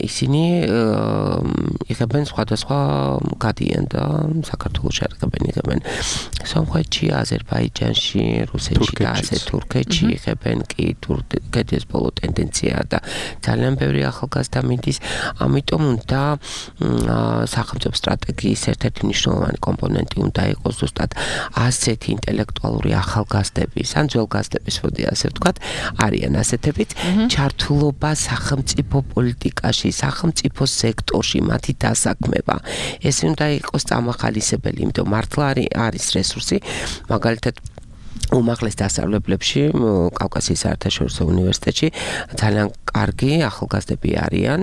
ისინი იღებენ სხვადასხვა გადიან და საქართველოში იღებენ სომხეთში, აზერბაიჯანში, რუსეთში და ასე თურქეთში იღებენ კი თურქეთის ბოლო ტენდენცია და ძალიან ბევრი ახალგაზრდა მიდის, ამიტომ უნდა სახელმწიფო სტრატეგიის ერთ-ერთი მნიშვნელოვანი კომპონენტი უნდა იყოს ზუსტად ასეთი ინტელექტუალური ახალგაზრდების, ან ძველგაზრდების, მოდი ასე ვთქვათ, არიან ასეთებით, ჩართულობა სახელმწიფო პოლიტიკაში, სახელმწიფო სექტორში, მათი დასაქმება. ეს უნდა იყოს წამახალისებელი, იმიტომ მართლა არის რესურსი, მაგალითად უმაღლეს დასავლებლებში, კავკასიის საერთაშორისო უნივერსიტეტში ძალიან კარგი ახალგაზრდები არიან,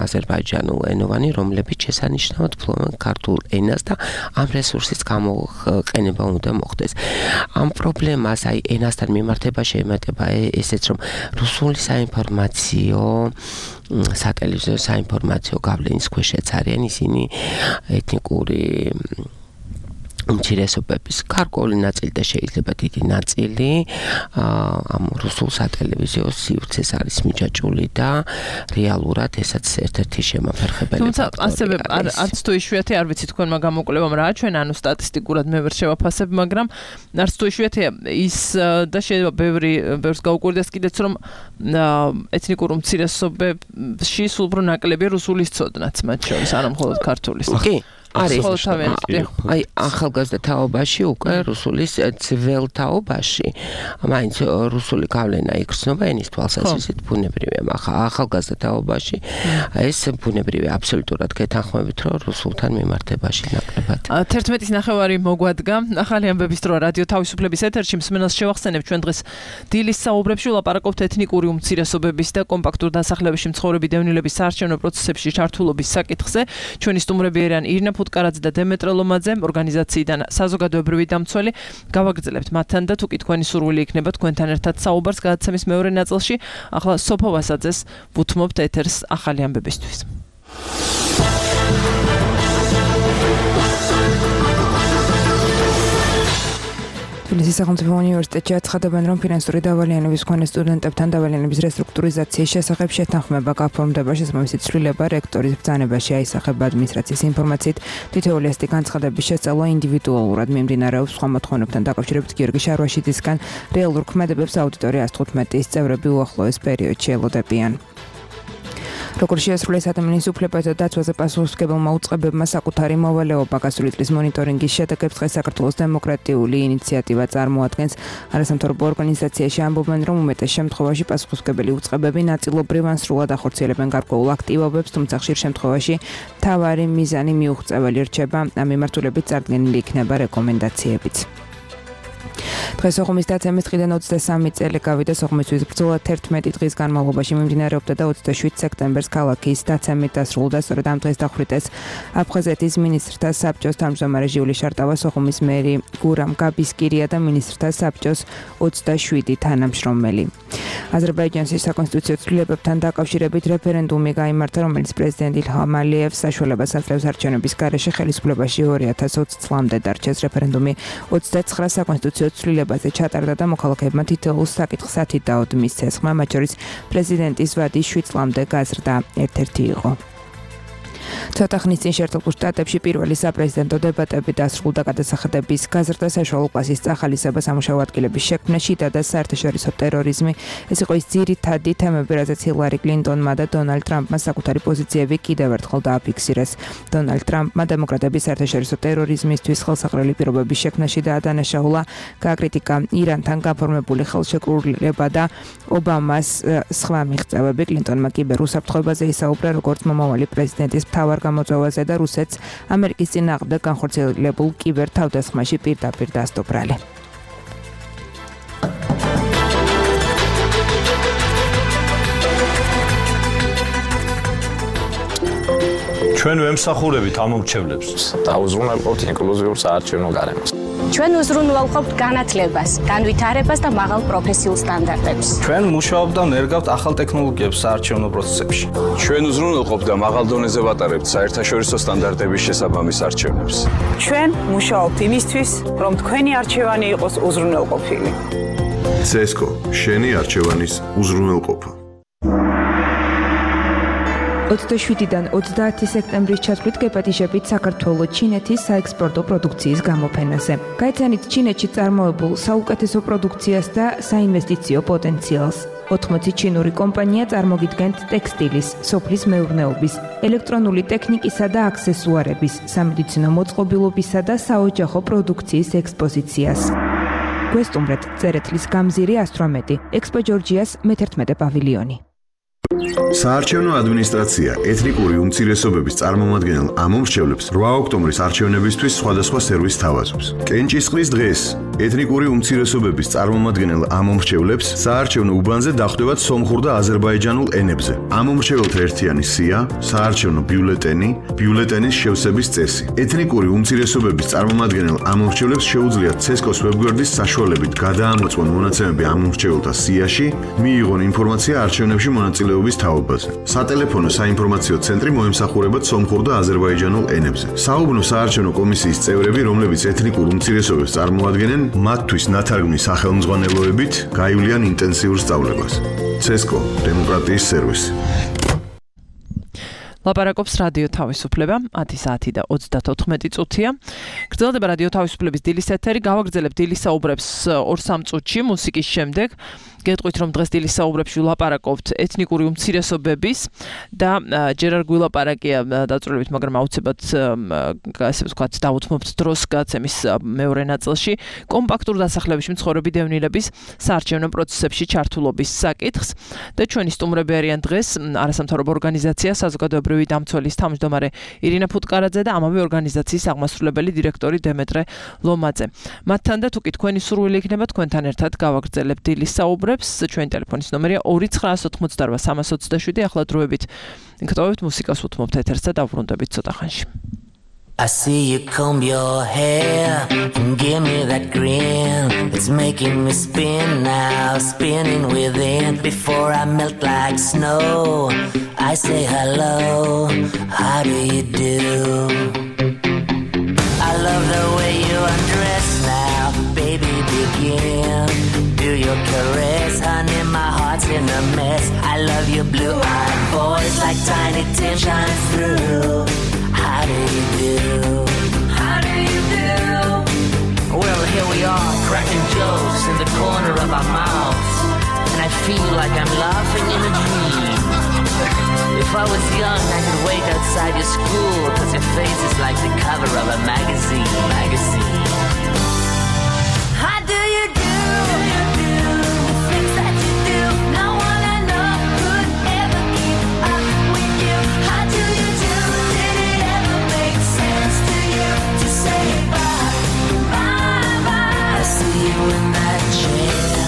აზერბაიჯანულ ენოვანი, რომლებიც შესანიშნავად ფლობენ ქართულ ენას და ამ რესურსის გამოყენება უნდა მოხდეს. ამ პრობლემას, აი ენასთან მიმართება შეემატება ესეც, რომ რუსული საინფორმაციო სატელევიზიო საინფორმაციო გავლენის ქვეშეც არიან ისინი ეთნიკური უმცირესობების გარკვეული ნაწილი და შეიძლება დიდი ნაწილი ამ რუსულ სატელევიზიო სივრცეს არის მიჯაჭვული და რეალურად ესაც ერთ-ერთი შემაფერხებელი. თუმცა ასევე არც თუ იშვიათი არ ვიცი თქვენმა გამოკვლევამ რა ჩვენ ანუ სტატისტიკურად მე ვერ შევაფასებ, მაგრამ არც თუ იშვიათია ის და შეიძლება ბევრს გაუკვირდეს კიდეც რომ ეთნიკურ უმცირესობებში სულ უფრო ნაკლებია რუსულის ცოდნაც მათ შორის, არა მხოლოდ ქართულის. კი აი ახალგაზრდა თაობაში უკვე რუსულის ძველ თაობაში მაინც რუსული გავლენა იგრძნობა ენის თვალსაზრისით ბუნებრივია, მაგრამ ახალგაზრდა თაობაში ეს ბუნებრივია აბსოლუტურად გეთანხმებით, რომ რუსულთან მიმართებაში ნაკლებად. 11:09 მოგვადგა. ახალი ამბების დრო რადიო თავისუფლების ეთერში მსმენელს შევახსენებ ჩვენ დღეს დილის საუბრებში ვლაპარაკობთ ეთნიკური უმცირესობების და კომპაქტურ დასახლებებში მცხოვრები დევნილების საარჩევნო პროცესებში ჩართულობის საკითხზე. ჩვენი სტუმრები არიან ირინა ფუტკარაძე და დემეტრე ლომაძე, ორგანიზაციიდან საზოგადოებრივი დამცველი. გავაგრძელებთ მათთან და თუკი თქვენი სურვილი იქნება თქვენთან ერთად საუბარს გადაცემის მეორე ნაწილში. ახლა სოფო ვასაძეს ვუთმობთ ეთერს ახალი ამბებისთვის. თბილისის სახელმწიფო უნივერსიტეტში აცხადებენ, რომ ფინანსური დავალიანების მქონე სტუდენტებთან დავალიანების რესტრუქტურიზაციის შესახებ შეთანხმება გაფორმდება, შესაბამისი ცვლილება რექტორის ბრძანებაში აისახება ადმინისტრაციის ინფორმაციით. თითოეული ასეთი განცხადების შესწავლა ინდივიდუალურად მიმდინარეობს. სხვა მოთხოვნებთან დაკავშირებით გიორგი შარვაშიძისგან რეალურ ქმედებებს აუდიტორია 115-ის წევრები უახლოეს პერიოდში ელოდებიან. როგორც შეასრულეს ადამიანის უფლებათა დაცვაზე პასუხისმგებელმა უწყებებმა საკუთარი მოვალეობა გასული წლის მონიტორინგის შედეგებს დღეს საქართველოს დემოკრატიული ინიციატივა წარმოადგენს. არასამთავრობო ორგანიზაციაში ამბობენ, რომ უმეტეს შემთხვევაში პასუხისმგებელი უწყებები ნაწილობრივ ან სრულად ახორციელებენ გარკვეულ აქტივობებს, თუმცა ხშირ შემთხვევაში მთავარი მიზანი მიუღწეველი რჩება. ამ მიმართულებით წარდგენილი იქნება რეკომენდაციებიც. დღეს სოხუმის დაცემის დღიდან 23 წელი გავიდა. სოხუმისთვის ბრძოლა 11 დღის განმავლობაში მიმდინარეობდა და 27 სექტემბერს ქალაქის დაცემით დასრულდა. სწორედ ამ დღეს დახვრიტეს აფხაზეთის მინისტრთა საბჭოს თავმჯდომარე ჟიული შარტავა, სოხუმის მერი გურამ გაბისკირია და მინისტრთა საბჭოს 27 თანამშრომელი. აზერბაიჯანის საკონსტიტუციო ცვლილებებთან დაკავშირებით რეფერენდუმი გაიმართა, რომელიც პრეზიდენტ ილჰამ ალიევს საშუალებას აძლევს არჩევნების გარეშე ხელისუფლებაში 2020 წლამდე დარჩეს. რეფერენდუმი 29 საკონსტიტუციო ცვლილებაზე ჩატარდა და მოქალაქეებმა თითოეულ საკითხს 10 დაოდ მისცეს. ხმა მათ შორის პრეზიდენტის ვადი 7 წლამდე გაზრდა ერთ-ერთი იყო. ცოტა ხნის წინ შეერთებულ შტატებში პირველი საპრეზიდენტო დებატები დასრულდა. გადასახადების გაზრდა, საშუალო კლასის წახალისება, სამუშაო ადგილების შექმნა, შიდა და საერთაშორისო ტერორიზმი. ეს იყო ის ძირითადი თემები, რაზეც ჰილარი კლინტონმა და დონალდ ტრამპმა საკუთარი პოზიციები კიდევ ერთხელ დააფიქსირეს. დონალდ ტრამპმა დემოკრატების საერთაშორისო ტერორიზმისთვის ხელსაყრელი პირობების შექმნაში დაადანაშაულა, გააკრიტიკა ირანთან გაფორმებული ხელშეკრულება და ობამას სხვა მიღწევები. კლინტონმა კიბერუსაფრთხოებაზე ისაუბრა, როგორც მომავალი პრეზიდენტის მთავარ გამოწვევაზე და რუსეთს ამერიკის წინააღმდეგ განხორციელებულ კიბერ თავდასხმაში პირდაპირ დასტო ბრალი. ჩვენ ვემსახურებით ამომრჩევლებს. დაუზრუნველყოფთ ინკლუზიურ საარჩევნო გარემოს. ჩვენ უზრუნველყოფთ განათლებას, განვითარებას და მაღალ პროფესიულ სტანდარტებს. ჩვენ მუშაობთ და ნერგავთ ახალ ტექნოლოგიებს საარჩევნო პროცესებში. ჩვენ უზრუნველყოფთ და მაღალ დონეზე ვატარებთ საერთაშორისო სტანდარტების შესაბამის არჩევნებს. ჩვენ მუშაობთ იმისთვის, რომ თქვენი არჩევანი იყოს უზრუნველყოფილი. CSGO, შენი არჩევანის უზრუნველყოფა. 27-დან 30 სექტემბრის ჩათვლით გეპატიჟებით საქართველოს ჩინეთის საექსპორტო პროდუქციის გამოფენაზე. გაიცანით ჩინეთში წარმოებულ საუკეთესო პროდუქციას და საინვესტიციო პოტენციალს. 80 ჩინური კომპანია წარმოგიდგენთ ტექსტილის, სოფლის მეურნეობის, ელექტრონული ტექნიკისა და აქსესუარების, სამედიცინო მოწყობილობისა და საოჯახო პროდუქციის ექსპოზიციას. გვესტუმრეთ წერეთლის გამზირი 118, ექსპო ჯორჯიას მე-11 პავილიონი. საარჩევნო ადმინისტრაცია ეთნიკური უმცირესობების წარმომადგენელ ამომრჩევლებს 8 ოქტომბრის არჩევნებისთვის სხვადასხვა სერვისს თავაზობს. კენჭისყრის დღეს ეთნიკური უმცირესობების წარმომადგენელ ამომრჩევლებს საარჩევნო უბანზე დახვდებათ სომხურ და აზერბაიჯანულ ენებზე. ამომრჩეველთა ერთიანი სია, საარჩევნო ბიულეტენი, ბიულეტენის შევსების წესი. ეთნიკური უმცირესობების წარმომადგენელ ამომრჩევლებს შეუძლიათ CSGO-s ვებგვერდის საშუალებით გადაამოწმონ მონაცემები ამომრჩეველთა სიაში, მიიღონ ინფორმაცია არჩევნებში მონაწილეობის თაობაზე. სატელეფონო საინფორმაციო ცენტრი მოემსახურებათ სომხურ და აზერბაიჯანულ ენებზე. საუბნო საარჩევნო კომისიის წევრები, რომლებიც ეთნიკურ უმცირესობებს წარმოადგენენ, მათთვის ნათარგმნის სახელმძღვანელოებით გაივლიან ინტენსიურ სწავლებას. CSGO დემოკრატიის სერვისი. ლაპარაკობს რადიო თავისუფლება 10 საათი და 34 წუთია. გრძელდება რადიო თავისუფლების დილის ეთერი. გავაგრძელებთ დილის საუბრებს 2-3 წუთში მუსიკის შემდეგ. გეტყვით რომ დღეს დილის საუბრებში ვლაპარაკობთ ეთნიკური უმცირესობების და ჯერ არ გვილაპარაკია დაწვრილებით, მაგრამ აუცილებლად ასე ვთქვათ დავუთმობთ დროს გაცემის მეორე ნაწილში კომპაქტურ დასახლებებში მცხოვრები დევნილების საარჩევნო პროცესებში ჩართულობის საკითხს და ჩვენი სტუმრები არიან დღეს არასამთავრობო ორგანიზაცია საზოგადოებრივი დამცველის თავმჯდომარე ირინა ფუტკარაძე და ამავე ორგანიზაციის აღმასრულებელი დირექტორი დემეტრე ლომაძე. მათთან და თუკი თქვენი სურვილი იქნება თქვენთან ერთად გავაგრძელებთ დილის საუბრებს. ჩვენი ტელეფონის ნომერია 2988327. ახლა დროებით გტოვებთ მუსიკას უთმობთ ეთერს და დავბრუნდებით ცოტა ხანში. I see you comb your hair and give me that grin. It's making me spin now, spinning within. Before I melt like snow, I say hello, how do you do? I love the way you undress now, baby begin. Do your caress, honey, my heart's in a mess. I love your blue-eyed voice like Tiny Tim shines through. How do you do? How do you do? Well, here we are, cracking jokes in the corner of our mouths, and I feel like I'm laughing in a dream. If I was young, I could wait outside your school, 'cause your face is like the cover of a magazine. How do you do? The things that you do, no one I know could ever keep up with you. How do you do? Did it ever make sense to you to say bye, bye, bye? I see you in that chair,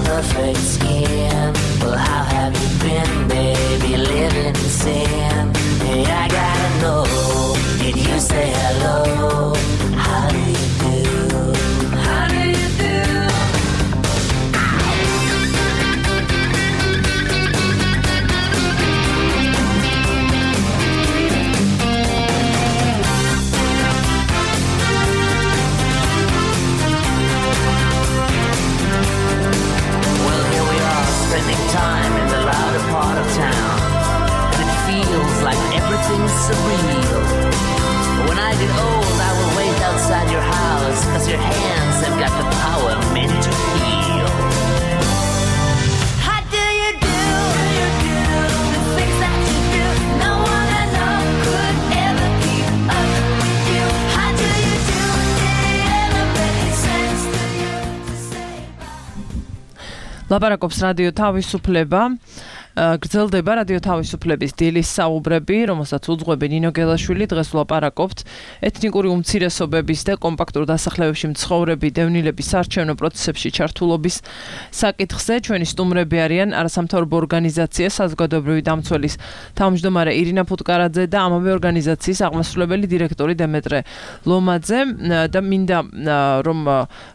perfect skin. Well, how have you been, baby, living in sin? Hey, I gotta know, did you say hello? How do you do? How do you do? Well, here we are, spending time in the louder part of town, and it feels like everything's surreal. When I get old, I will wait outside your house, 'cause your hands have got the power meant to heal. How do you do? The things that you do, no one I know could ever keep up with you. How do you do? Did it ever make sense to you to say bye? ლაპარაკობს რადიო თავისუფლება. გრძელდება რადიო თავისუფლების დილის საუბრები, რომელსაც უძღვები ნინო გელაშვილი. დღეს ვლაპარაკობთ ეთნიკური უმცირესობების და კომპაქტურ დასახლებებში მცხოვრები დევნილების საარჩევნო პროცესებში ჩართულობის საკითხზე. ჩვენი სტუმრები არიან არასამთავრობო ორგანიზაცია საზოგადოებრივი დამცველის თავმჯდომარე ირინა ფუტკარაძე და ამავე ორგანიზაციის აღმასრულებელი დირექტორი დემეტრე ლომაძე და მინდა რომ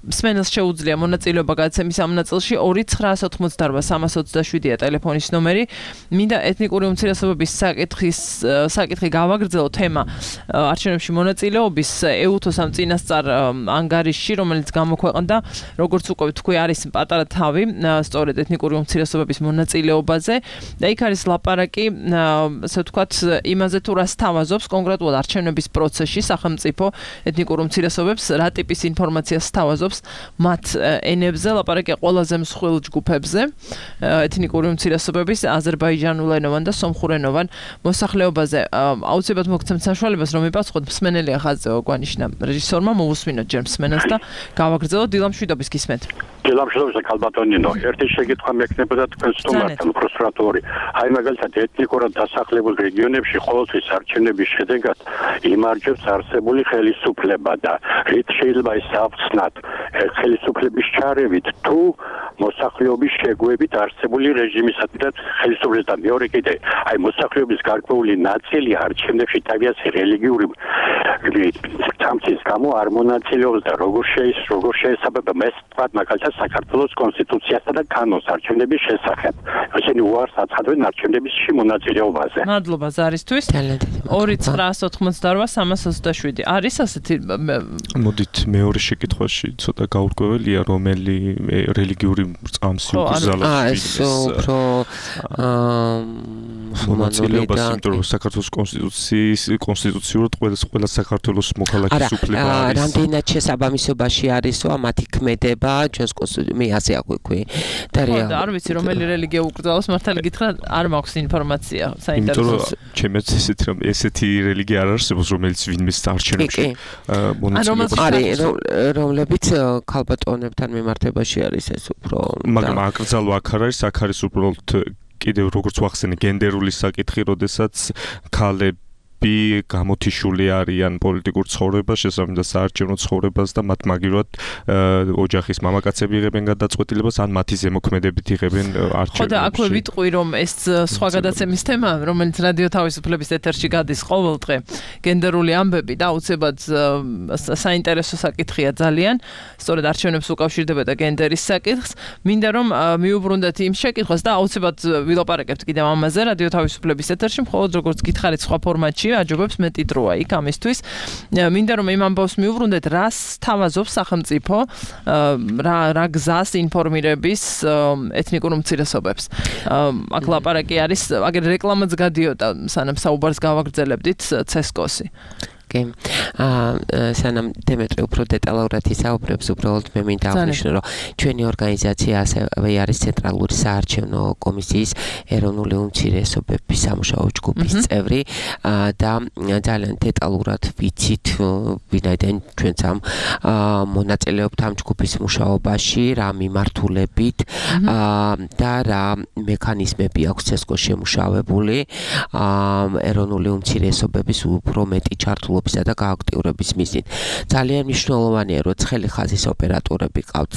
მსმენელს შეუძლია მონაწილეობა გადაცემის ამ ნაწილში 2988327 ტელეფონის ნომერი. მინდა ეთნიკური უმცირესობების საკითხი გავაგრძელო თემა არჩევნებში მონაწილეობის ეუთოს ამ წინასწარ ანგარიშში, რომელიც გამოქვეყნდა, როგორც უკვე თქვი, არის პატარა თავი სწორედ ეთნიკური უმცირესობების მონაწილეობაზე და იქ არის ლაპარაკი, ასე ვთქვათ, იმაზე თუ რას თავაზობს კონკრეტულად არჩევნების პროცესში სახელმწიფო ეთნიკურ უმცირესობებს, რა ტიპის ინფორმაციას თავაზობს მათ ენებზე, ლაპარაკია ყველაზე მსხვილ ჯგუფებზე ეთნიკური უმცირესობების აზერბაიჯანულენოვან და სომხურენოვან მოსახლეობაზე. აუცილებლად მოგცემთ საშუალებას, რომ მიპასუხოთ მსმენელი ახალწევა გვანიშნა რეჟისორმა, მოვუსმინოთ ჯერ მსმენელს და გავაგრძელოთ დილამშვიდობის გისმენთ. დილამშვიდობის კალბატონინო, ერთი შეკითხვა მექნებოდა თქვენ სტუმართან პროსპერატორი. აი მაგალითად ეთნიკურად დასახლებულ რეგიონებში ყოველთვის არჩევნების შედეგად იმარჯვებს არსებული ხელისუფლება და რით შეიძლება ეს ავხსნათ ხელისუფლების ჩარევით თუ მოსახლეობის შეგვებით არსებული რეჟიმისადმი და ხელისუფლების და მეორე კიდე აი მოსახლეობის გარკვეული ნაწილი არჩევნებში თავის რელიგიური თამცის გამო არ მონაწილეობს და როგორ შეესაბამება ეს თქვა მაგალითად საქართველოს კონსტიტუციასა და კანონს არჩევნების შესახებ. ესენი უარს აცხადებენ არჩევნების მონაწილეობაზე. მადლობა ზარისთვის. 2988327 არის ასეთი. მოდით მეორე შეკითხვაში ცოტა გაურკვეველია, რომელი რელიგიური წამსი უკრძალავს. ეს უფრო მუსულმანური და იმიტომ რომ საქართველოს კონსტიტუციურად ყველა საქართველოს მოქალაქის უფლება არის. რამდენად შესაბამისობაში არისო მათი ქმედება ჩვენს კონსტიტუციაში მე ასე აღვიქვი და და არ ვიცი რომელი რელიგია უკრძალავს მართალი გითხრა არ მაქვს ინფორმაცია საინტერესო. ჩემს ისეთ რომ ესეთი რელიგია არ არსებობს რომელიც ვინმეს არჩევნებში არის რომლებიც ქალბატონებთან მიმართებაში არის ეს უფრო მაგრამ აკრძალვა აქ არის აქ არის უბრალოდ კიდევ როგორც ვახსენე გენდერული საკითხი როდესაც ქალები გამოთიშული არიან პოლიტიკურ ცხოვრებას, შესაბამისად საარჩევნო ცხოვრებას და მათ მაგივრად ოჯახის მამაკაცები იღებენ გადაწყვეტილებას, ან მათი ზემოქმედებით იღებენ არჩევნებში. ხო და აქვე ვიტყვი რომ ეს სხვა გადაცემის თემა, რომელიც რადიო თავისუფლების ეთერში გადის ყოველდღე, გენდერული ამბები და აუცილებლად საინტერესო საკითხია ძალიან, სწორედ არჩევნებს უკავშირდება და გენდერის საკითხს. მინდა რომ მიუბრუნდეთ იმ შეკითხვას და აუცილებლად ვილაპარაკებთ კიდევ ამაზე რადიო თავისუფლების ეთერში, მხოლოდ როგორც გითხარით სხვა ფორმატში აჯობებს მეტი დროა იქ ამისთვის. მინდა რომ იმ ამბავს მიუბრუნდეთ, რას თავაზობს სახელმწიფო, რა გზას ინფორმირების ეთნიკურ უმცირესობებს. აქ ლაპარაკი არის, აგერ რეკლამაც გადიოდა, სანამ საუბარს გავაგრძელებდით CESCO-ს. სანამ დემეტრე უფრო დეტალურად ისაუბრებს, უბრალოდ მე მინდა აღნიშნო, რომ ჩვენი ორგანიზაცია ასევე არის ცენტრალური საარჩევნო კომისიის ეროვნული უმცირესობების სამუშაო ჯგუფის წევრი და ძალიან დეტალურად ვიცით, ვინაიდან ჩვენც ამ მონაწილეობთ ამ ჯგუფის მუშაობაში, რა მიმართულებით და რა მექანიზმები აქვს CESCO-ში შემუშავებული ეროვნული უმცირესობების უფრო მეტი ჩართულობისა და გააქტიურების მიზნით. ძალიან მნიშვნელოვანია, რომ ცხელი ხაზის ოპერატორები ყავთ,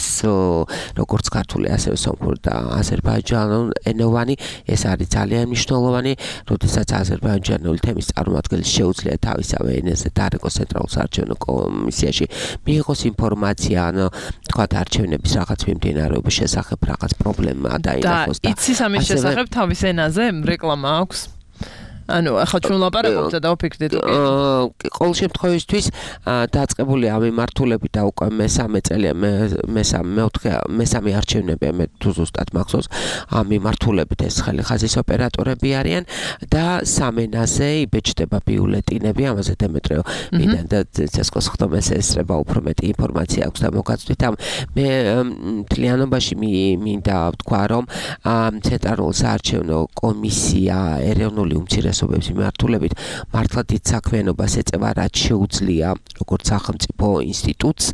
როგორც ქართული, ასევე სომხური და აზერბაიჯანულენოვანი. ეს არის ძალიან მნიშვნელოვანი, როდესაც აზერბაიჯანული თემის წარმომადგენელი შეუძლია თავისავე ენაზე დაარეკოს ცენტრალურ საარჩევნო კომისიაში, მიიღოს ინფორმაცია, ან თქვათ არჩევნების რაღაც მიმდინარეობის შესახებ რაღაც პრობლემა დაინახოს და იცის ამის შესახებ თავის ენაზე რეკლამა აქვს? ანუ ახლა ჩვენ ლაპარაკობთ და დავფიქრდით ყოველ შემთხვევისთვის დაწყებული ამ მიმართულებით და უკვე მესამე წელია მესამე არჩევნებია მე თუ ზუსტად მახსოვს ამ მიმართულებით ეს ხელი ხაზის ოპერატორები არიან და სამენაზე იბეჭდება ბიულეტინები ამაზე დემეტრეო მინდა და CESCO-ს ხდომას ესწრება უფრო მეტი ინფორმაცია აქვს და მოგაცვით ამ მე მთლიანობაში მინდა ვთქვა რომ ცენტრალურ საარჩევნო კომისია ეროვნული უმცირესობების მიმართულებით მართლა დიდ საქმიანობას ეწევა რაც შეუძლია როგორც სახელმწიფო ინსტიტუტს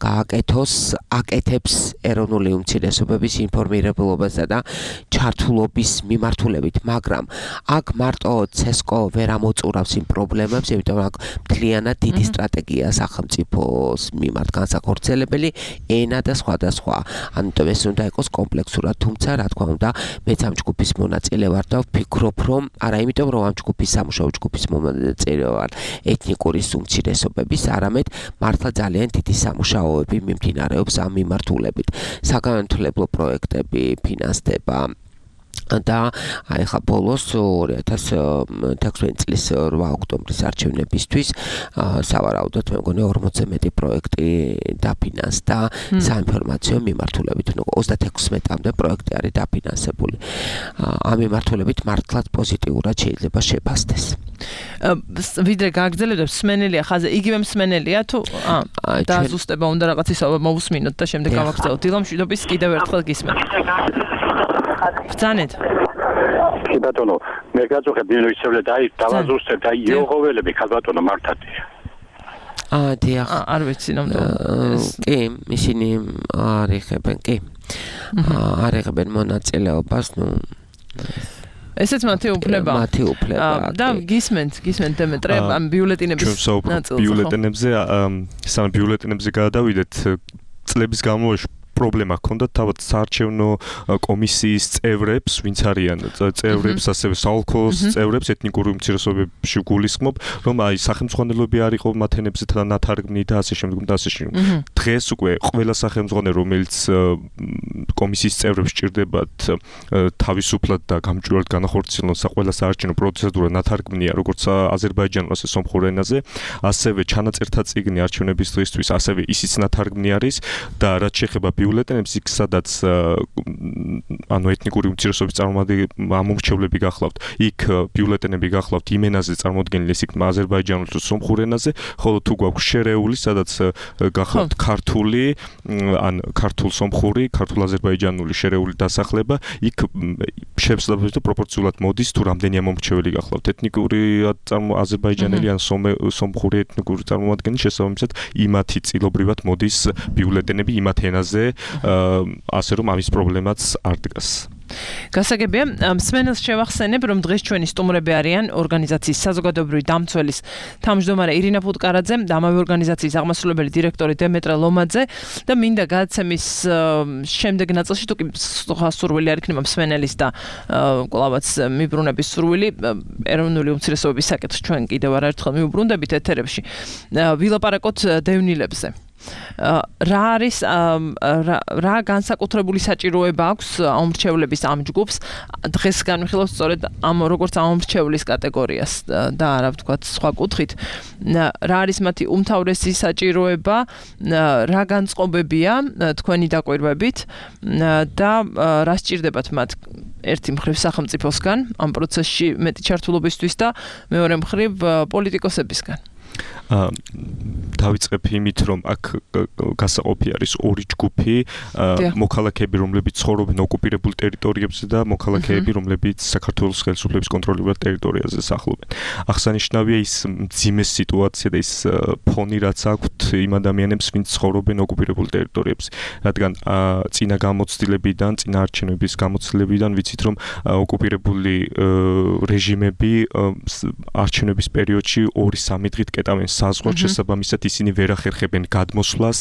გააკეთოს აკეთებს ეროვნული უმცირესობების ინფორმირებულობასა და ჩართულობის მიმართულებით მაგრამ აქ მარტო CESCO ვერ ამოწურავს იმ პრობლემებს იმიტომ აქ მთლიანად დიდი სტრატეგია სახელმწიფოს მიმართ განსახორციელებელი ენა და სხვა ამიტომ ეს უნდა იყოს კომპლექსურად თუმცა რა თქმა უნდა მეც ამ ჯგუფის მონაწილე ვარ და ვფიქრობ რომ არა იმიტომ რომ ამ ჯგუფის სამუშაო ჯგუფის მონაწილე ვარ ეთნიკური უმცირესობების არამედ მართლა ძალიან დიდი სამუშაოები მიმდინარეობს ამ მიმართულებით საგანმანათლებლო პროექტები ფინანსდება და აი ხა ბოლოს 2016 წლის 8 ოქტომბრის არჩევნებისთვის სავარაუდოდ მე მგონი 40-ზე მეტი პროექტი დაფინანსდა საინფორმაციო მიმართულებით 36-მდე პროექტი არის დაფინანსებული ამ მიმართულებით მართლაც პოზიტიურად შეიძლება შეფასდეს ვიდრე გააგრძელებდეთ მსმენელია ხაზე იგივე მსმენელია თუ დააზუსტება უნდა რაღაც ისე მოვუსმინოთ და შემდეგ გავაგრძელოთ დილამშვიდობის კიდევ ერთხელ გისმენთ ბრძანეთ კი ბატონო მე გაწუხებ ნინოისევლე და აი დავაზუსტებ და იოღოველები ხალბატონო მართადია დიახ არ ვიცი ნამდვილად კი ისინი არ იღებენ კი არ იღებენ მონაწილეობას ნუ ესეც მათი უფლება და გისმენთ დემეტრე ამ ბიულეტინების ნაწილს ბიულეტინებზე სამ ბიულეტინებზე გადავიდეთ წლების განმავლობაში პრობლემა ჰქონდა თავად საარჩევნო კომისიის წევრებს, ვინც არიან წევრებს, ასევე საოლქოს წევრებს, ეთნიკური უმცირესობებში გულისხმობ, რომ აი სახელმძღვანელოები არ იყო მათენებზე თანათარგმნი და ასე შემდეგ და ასე შემდეგ. დღეს უკვე ყველა სახელმძღვანელო, რომელიც კომისიის წევრებს სჭირდებათ თავისუფლად და გამჭვირვალედ განახორციელონ ყველა საარჩევნო პროცედურა ნათარგმნია, როგორც აზერბაიჯანულ ასე სომხურ ენაზე, ასევე ჩანაწერთა წიგნი არჩევნების დღისთვის, ასევე ისიც ნათარგმნი არის და რაც შეეხება ბიულეტენებს იქ სადაც ანუ ეთნიკური უმცირესობის ამომრჩევლები გახლავთ, იქ ბიულეტენები გახლავთ იმ ენაზე წარმოდგენილი, ეს იქ აზერბაიჯანულ თუ სომხურ ენაზე, ხოლო თუ გვაქვს შერეული, სადაც გახლავთ ქართული, ან ქართულ-სომხური, ქართულ-აზერბაიჯანული შერეული დასახლება, იქ შეფსლაბებს და პროპორციულად მოდის თუ რამდენი ამომრჩეველი გახლავთ. ეთნიკური აზერბაიჯანელი ან სომხური ეთნიკური წარმომადგენელი შესაბამისად იმათი წილობრივად მოდის ბიულეტენები იმათ ენაზე, ასე რომ ამის პრობლემაც არ დგას. გასაგებია, მსმენელს შევახსენებ, რომ დღეს ჩვენი სტუმრები არიან ორგანიზაციის საზოგადოებრივი დამცველის თავმჯდომარე ირინა ფუტკარაძე და ამავე ორგანიზაციის აღმასრულებელი დირექტორი დემეტრე ლომაძე და მინდა გადაცემის შემდეგ ნაწილში თუ კი სურვილი არ იქნება მსმენელის და კვლავაც მიბრუნების სურვილი ეროვნული უმცირესობების საკითხს ჩვენ კიდევ არაერთხელ მივუბრუნდებით ეთერებში ვილაპარაკოთ დევნილებზე. რა არის რა განსაკუთრებული საჭიროება აქვს ამომრჩევლების ამ ჯგუფს დღეს განვიხილავთ სწორედ ამ როგორც ამომრჩევლის კატეგორიას და არა ვთქვათ სხვა კუთხით რა არის მათი უმთავრესი საჭიროება რა განწყობებია თქვენი დაკვირვებით და რა სჭირდებათ მათ ერთი მხრივ სახელმწიფოსგან ამ პროცესში მეტი ჩართულობისთვის და მეორე მხრივ პოლიტიკოსებისგან დავიწყებ იმით, რომ აქ გასაყოფი არის ორი ჯგუფი, მოქალაქეები, რომლებიც ცხოვრობენ ოკუპირებულ ტერიტორიებზე და მოქალაქეები, რომლებიც საქართველოს ხელისუფლების კონტროლირებულ ტერიტორიაზე სახლობენ. აღსანიშნავია ის მძიმე სიტუაცია და ის ფონი, რაც აქვთ იმ ადამიანებს, ვინც ცხოვრობენ ოკუპირებულ ტერიტორიებზე. რადგან წინა გამოცდილებიდან, წინა არჩევნების გამოცდილებიდან ვიცით, რომ ოკუპირებული რეჟიმები არჩევნების პერიოდში 2-3 დღით კეტავენ საზღვარს, შესაბამისად ისინი ვერ ახერხებენ გადმოსვლას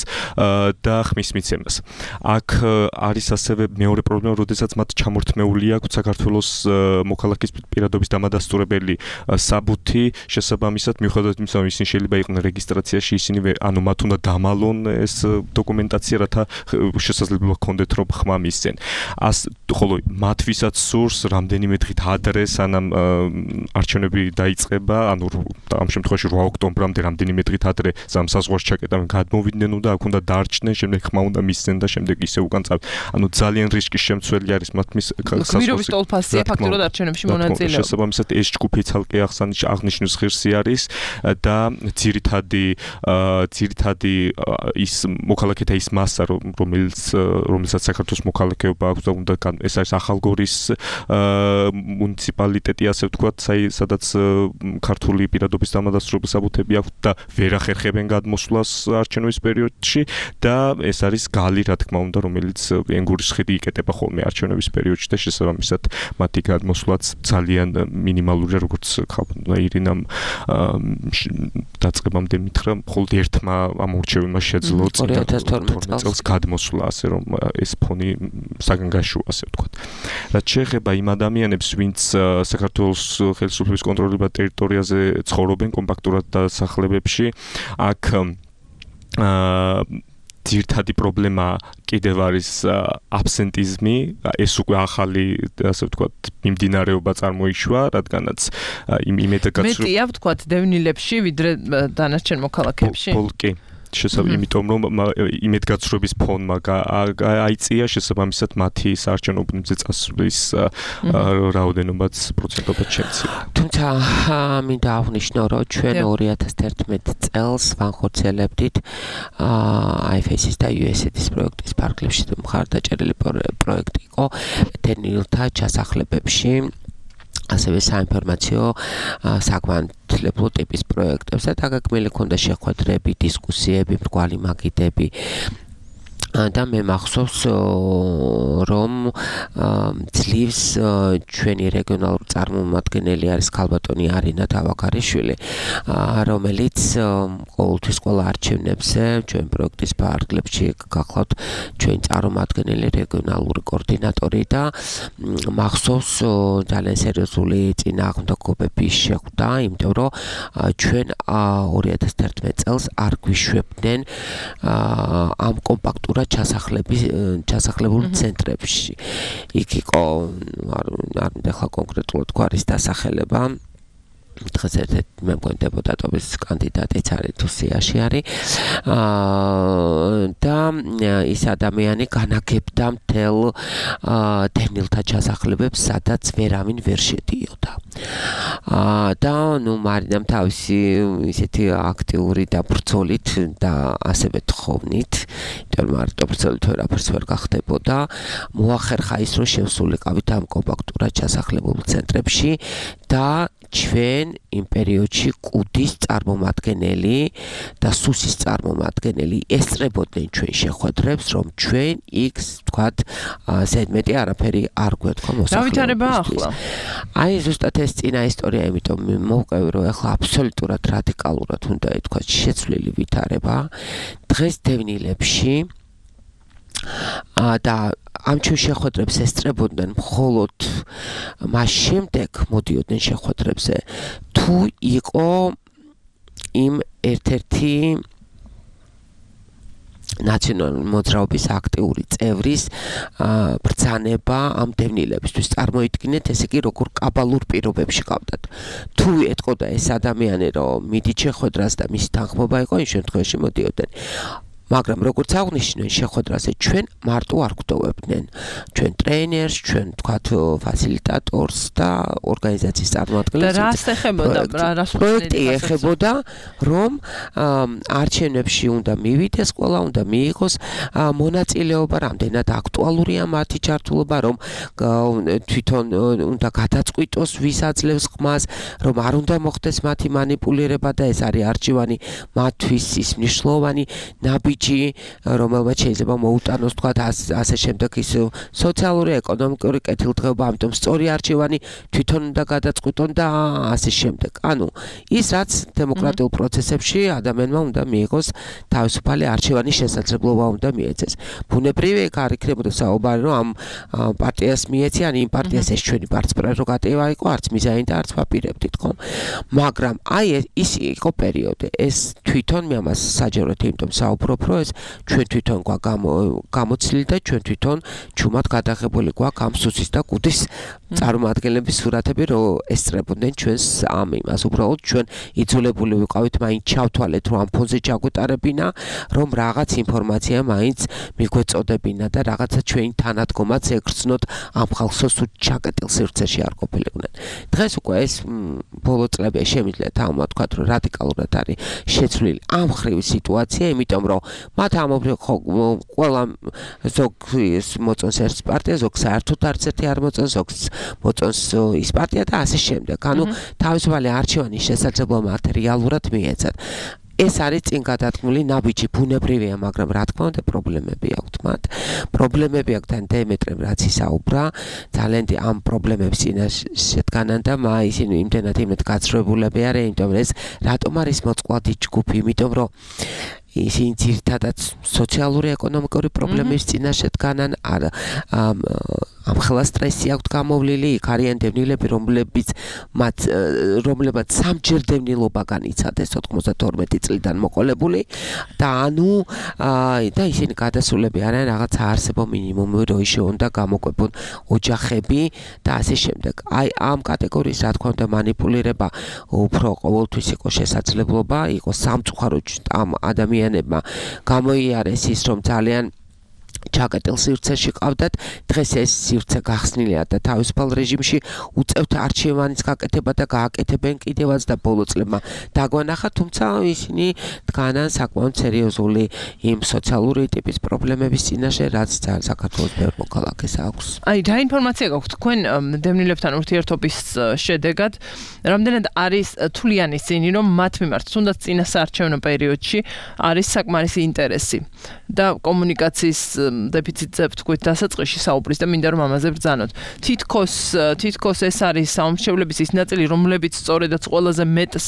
და ხმის მიცემას. აქ არის ასევე მეორე პრობლემა, როდესაც მათ ჩამორთმეული აქვს საქართველოს მოქალაქის პირადობის დამადასტურებელი საბუთი, შესაბამისად მიუხედავად იმისა, რომ ისინი შეიძლება იყვნენ რეგისტრაციაში, ისინი ანუ მათ უნდა დამალონ ეს დოკუმენტაცია, რათა შესაძლებლობა ჰქონდეთ, რომ ხმა მისცენ. ხოლო მათ ვისაც სურს რამდენიმე დღით ადრე, სანამ არჩევნები დაიწყება, ანუ ამ შემთხვევაში 8 ოქტომბრამდე რამდენიმე დღით ადრე საზღვარს ჩაკეტავენ, გადმოვიდნენ და აქ უნდა დარჩნენ, შემდეგ ხმა უნდა მისცენ და შემდეგ ისე უკან წავ. ანუ ძალიან რისკის შემცველი არის მათთვის გმირობის ტოლფასია ფაქტურად არჩევნებში მონაწილეობა. შესაბამისად ეს ჯგუფი ცალკე აღნიშნვის ღირსი არის და ძირითადი ის მოქალაქეთა ის მასა, რომელსაც საქართველოს მოქალაქეობა აქვს და უნდა ეს არის ახალგორის მუნიციპალიტეტი, ასე ვთქვათ, სადაც ქართული პირადობის დამადასტურებელი საბუთები აქვს და ვერ ახერხებენ გადმოსვლას არჩევნების პერიოდში და ეს არის გალი, რა თქმა უნდა, რომელიც ენგურის ხიდი იკეტება ხოლმე არჩევნების პერიოდში და შესაბამისად მათი გადმოსვლაც ძალიან მინიმალურია, როგორც ირინამ დაწყებამდე მითხრა, მხოლოდ ერთმა ამორჩეველმა შეძლო 2012 წელს გადმოსვლა, ასე რომ ეს ფონი საგანგაშოა, ასე ვთქვათ. რაც შეეხება იმ ადამიანებს, ვინც საქართველოს ხელისუფლების კონტროლირებულ ტერიტორიაზე ცხოვრობენ კომპაქტურად დასახლებებში, აქ ძირითადი პრობლემა კიდევ არის აბსენტიზმი, ეს უკვე ახალი, ასე ვთქვათ, მიმდინარეობა წარმოიშვა, რადგანაც მეტია ვთქვათ დევნილებში, ვიდრე დანარჩენ მოქალაქეებში. კი. იმიტომ რომ იმედგაცრუების ფონმა აიწია, შესაბამისად მათი საარჩევნო უბნებზე წასვლის რაოდენობაც პროცენტობად შემცირდა. თუმცა მინდა აღვნიშნო, რომ ჩვენ 2011 წელს ვანხორციელებდით IFACs და USAID-ის პროექტის ფარგლებში მხარდაჭერილი პროექტი იყო დევნილთა ჩასახლებებში. ასევე საინფორმაციო საკვანტლებლო ტიპის პროექტებზე და გაგმილი ქონდა შეხვედრები, დისკუსიები, მრგვალი მაგიდები და მე მახსოვს რომ ძლივს ჩვენი რეგიონალური წარმომადგენელი არის ქალბატონი არინა დავაკარიშვილი, რომელიც ყოველთვის ყველა არჩევნებზე ჩვენ პროექტის ფარგლებში გახლავთ ჩვენი წარმომადგენელი რეგიონალური კოორდინატორი და მახსოვს ძალიან სერიოზული წინააღმდეგობები შეხვდა, იმიტომ რომ ჩვენ 2011 წელს არ გვიშვებდნენ ამ კომპაქტურად ჩასახლებულ ცენტრებში. იქ იყო არ მინდა ხა კონკრეტულად გვარის დასახელება. დღეს ერთ-ერთი მე მგონი დეპუტატობის კანდიდატიც არის თუ სიაში არის და ის ადამიანი განაგებდა მთელ დევნილთა ჩასახლებებს, სადაც ვერავინ ვერ შედიოდა. და ნუ მარინამ თავისი ისეთი აქტიური დაბრძოლით და ასევე თხოვნით, იმიტომ რომ დაბრძოლით ვერაფერს ვერ გახდებოდა, მოახერხა ის, რომ შევსულიყავით ამ კომპაქტურად ჩასახლებულ ცენტრებში და ჩვენ იმ პერიოდში კუდის წარმომადგენელი და სუსის წარმომადგენელი ესწრებოდნენ ჩვენ შეხვედრებს, რომ ჩვენ იქ თქვათ ზედმეტი არაფერი არ გვეთქვა მოსახლეობისთვის. დავითარება ახლა. აი ზუსტად ეს წინა ისტორია, იმიტომ მოვყევი, რომ ახლა აბსოლუტურად რადიკალურად უნდა ითქვას შეცვლილი ვითარება. დღეს დევნილებში და ამ ჩვენ შეხვედრებს ესწრებოდნენ მხოლოდ მას შემდეგ მოდიოდნენ შეხვედრებზე თუ იყო იმ ერთ-ერთი ნაციონალური მოძრაობის აქტიური წევრის ბრძანება ამ დევნილებისთვის. წარმოიდგინეთ, ესე იგი, როგორ კაბალურ პირობებში ყავდათ. თუ ეთყოდა ეს ადამიანი, რომ მიდით შეხვედრას და მისი თანხმობა იყო, იმ შემთხვევაში მოდიოდნენ. მაგრამ როგორც აღნიშნეთ შეხვედრაზე ჩვენ მარტო არ გვდოვებდნენ ჩვენ ტრეინერს, ჩვენ თქვათ ფასილიტატორს და ორგანიზაციის წარმომადგენლებს. და რას ეხებოდა, რას პროექტი ეხებოდა, რომ არჩევნებში უნდა მივიდეს ყველა, უნდა მიიღოს მონაწილეობა, რამდენად აქტუალურია მათი ჩართულობა, რომ თვითონ უნდა გადაწყვიტოს ვის აძლევს ხმას, რომ არ უნდა მოხდეს მათი მანიპულირება და ეს არის არჩევანი მათთვის ის მნიშვნელოვანი ნაბიჯი, რომელმაც შეიძლება მოუტანოს თქვათ ასე შემდეგ ის სოციალური, ეკონომიკური კეთილდღეობა, ამიტომ სწორი არჩევანი თვითონ უნდა გადაწყვიტონ და ასე შემდეგ. ანუ ის რაც დემოკრატიულ პროცესებში ადამიანმა უნდა მიიღოს თავისუფალი არჩევანის შესაძლებლობა უნდა მიეცეს. ბუნებრივია იქ არ იქნებოდა საუბარი, რომ ამ პარტიას მიეციან, იმ პარტიას ეს ჩვენი პრეროგატივა იყო, არც მიზანი და არც ვაპირებდით, ხო? მაგრამ აი ის იყო პერიოდი. ეს თვითონ მე ამას საჯაროდ იმიტომ საუბრობ, რომ ეს ჩვენ თვითონ გამოცილი და ჩვენ თვითონ ჩუმად გადაღებული გვაქვს ამ სუსის და კუდის წარმომადგენლების სურათები, რომ ესწრებოდნენ ჩვენს ამ იმას. უბრალოდ ჩვენ იძულებული ვიყავით მაინც ჩავთვალეთ, რომ ამ ფონზე ჩაგვეტარებინა, რომ რაღაც ინფორმაცია მაინც მიგვეწოდებინა და რაღაცა ჩვენი თანადგომაც ეგრძნოთ ამ ხალხს, თუ ჩაკეტილ სივრცეში არ ყოფილიყვნენ. დღეს უკვე ეს ბოლო წლებში შემიძლია თავმა თქვათ, რომ რადიკალურად არის შეცვლილი ამ ხრივი სიტუაცია, იმიტომ რომ მათ ამობრივ ყველა ზოგ მოწონს ერთ პარტია, ზოგ საერთოდ არც ერთი არ მოწონს, ზოგს მოწონს ის პარტია და ასე შემდეგ. ანუ თავისუფალი არჩევანის შესაძლებლობა მათ რეალურად მიეცათ. ეს არის წინ გადადგმული ნაბიჯი, ბუნებრივია, მაგრამ რა თქმა უნდა პრობლემები აქვთ მათ. პრობლემები აქვთ და დემეტრემ რაც ისაუბრა, ძალიან ამ პრობლემებს წინაშე დგანან და ისინი იმდენად გაცრუებულები არიან, იმიტომ რომ ეს რატომ არის მოწყვლადი ჯგუფი, იმიტომ რომ ისინი ძირითადად სოციალური ეკონომიკური პრობლემების წინაშე დგანან, ამ ხელა სტრესი აქვთ გამოვლილი, იქ არიან დევნილები, რომლებაც სამჯერ დევნილობა განიცადეს 92 წლიდან მოყოლებული და და ისინი გადასულები არიან რაღაც საარსებო მინიმუმი, რომ ისე უნდა გამოკვებონ ოჯახები და ასე შემდეგ. აი ამ კატეგორიის რა თქმა უნდა მანიპულირება უფრო ყოველთვის იყო შესაძლებლობა, იყო სამწუხარო ამ ადამიანებმა გამოიარეს ის, რომ ძალიან ჩაკეტილ სივრცეში ყავდათ. დღეს ეს სივრცე გახსნილია და თავისუფალ რეჟიმში უწევთ არჩევანის გაკეთება და გააკეთებენ კიდევაც და ბოლო წლებმა დაგვანახა, თუმცა ისინი დგანან საკმაოდ სერიოზული იმ სოციალური ტიპის პრობლემების წინაშე, რაც საქართველოს ბევრ მოქალაქეს აქვს. აი რა ინფორმაცია გაქვთ თქვენ დევნილებთან ურთიერთობის შედეგად, რამდენად არის თვლიანი ისინი, რომ მათ მიმართ თუნდაც წინა საარჩევნო პერიოდში არის საკმარისი ინტერესი და კომუნიკაციის დეფიციტზე ვთქვით დასაწყისში საუბრის და მინდა რომ ამაზე ბრძანოთ. თითქოს ეს არის საომრჩევლების ის ნაწილი, რომლებიც სწორედაც ყველაზე მეტს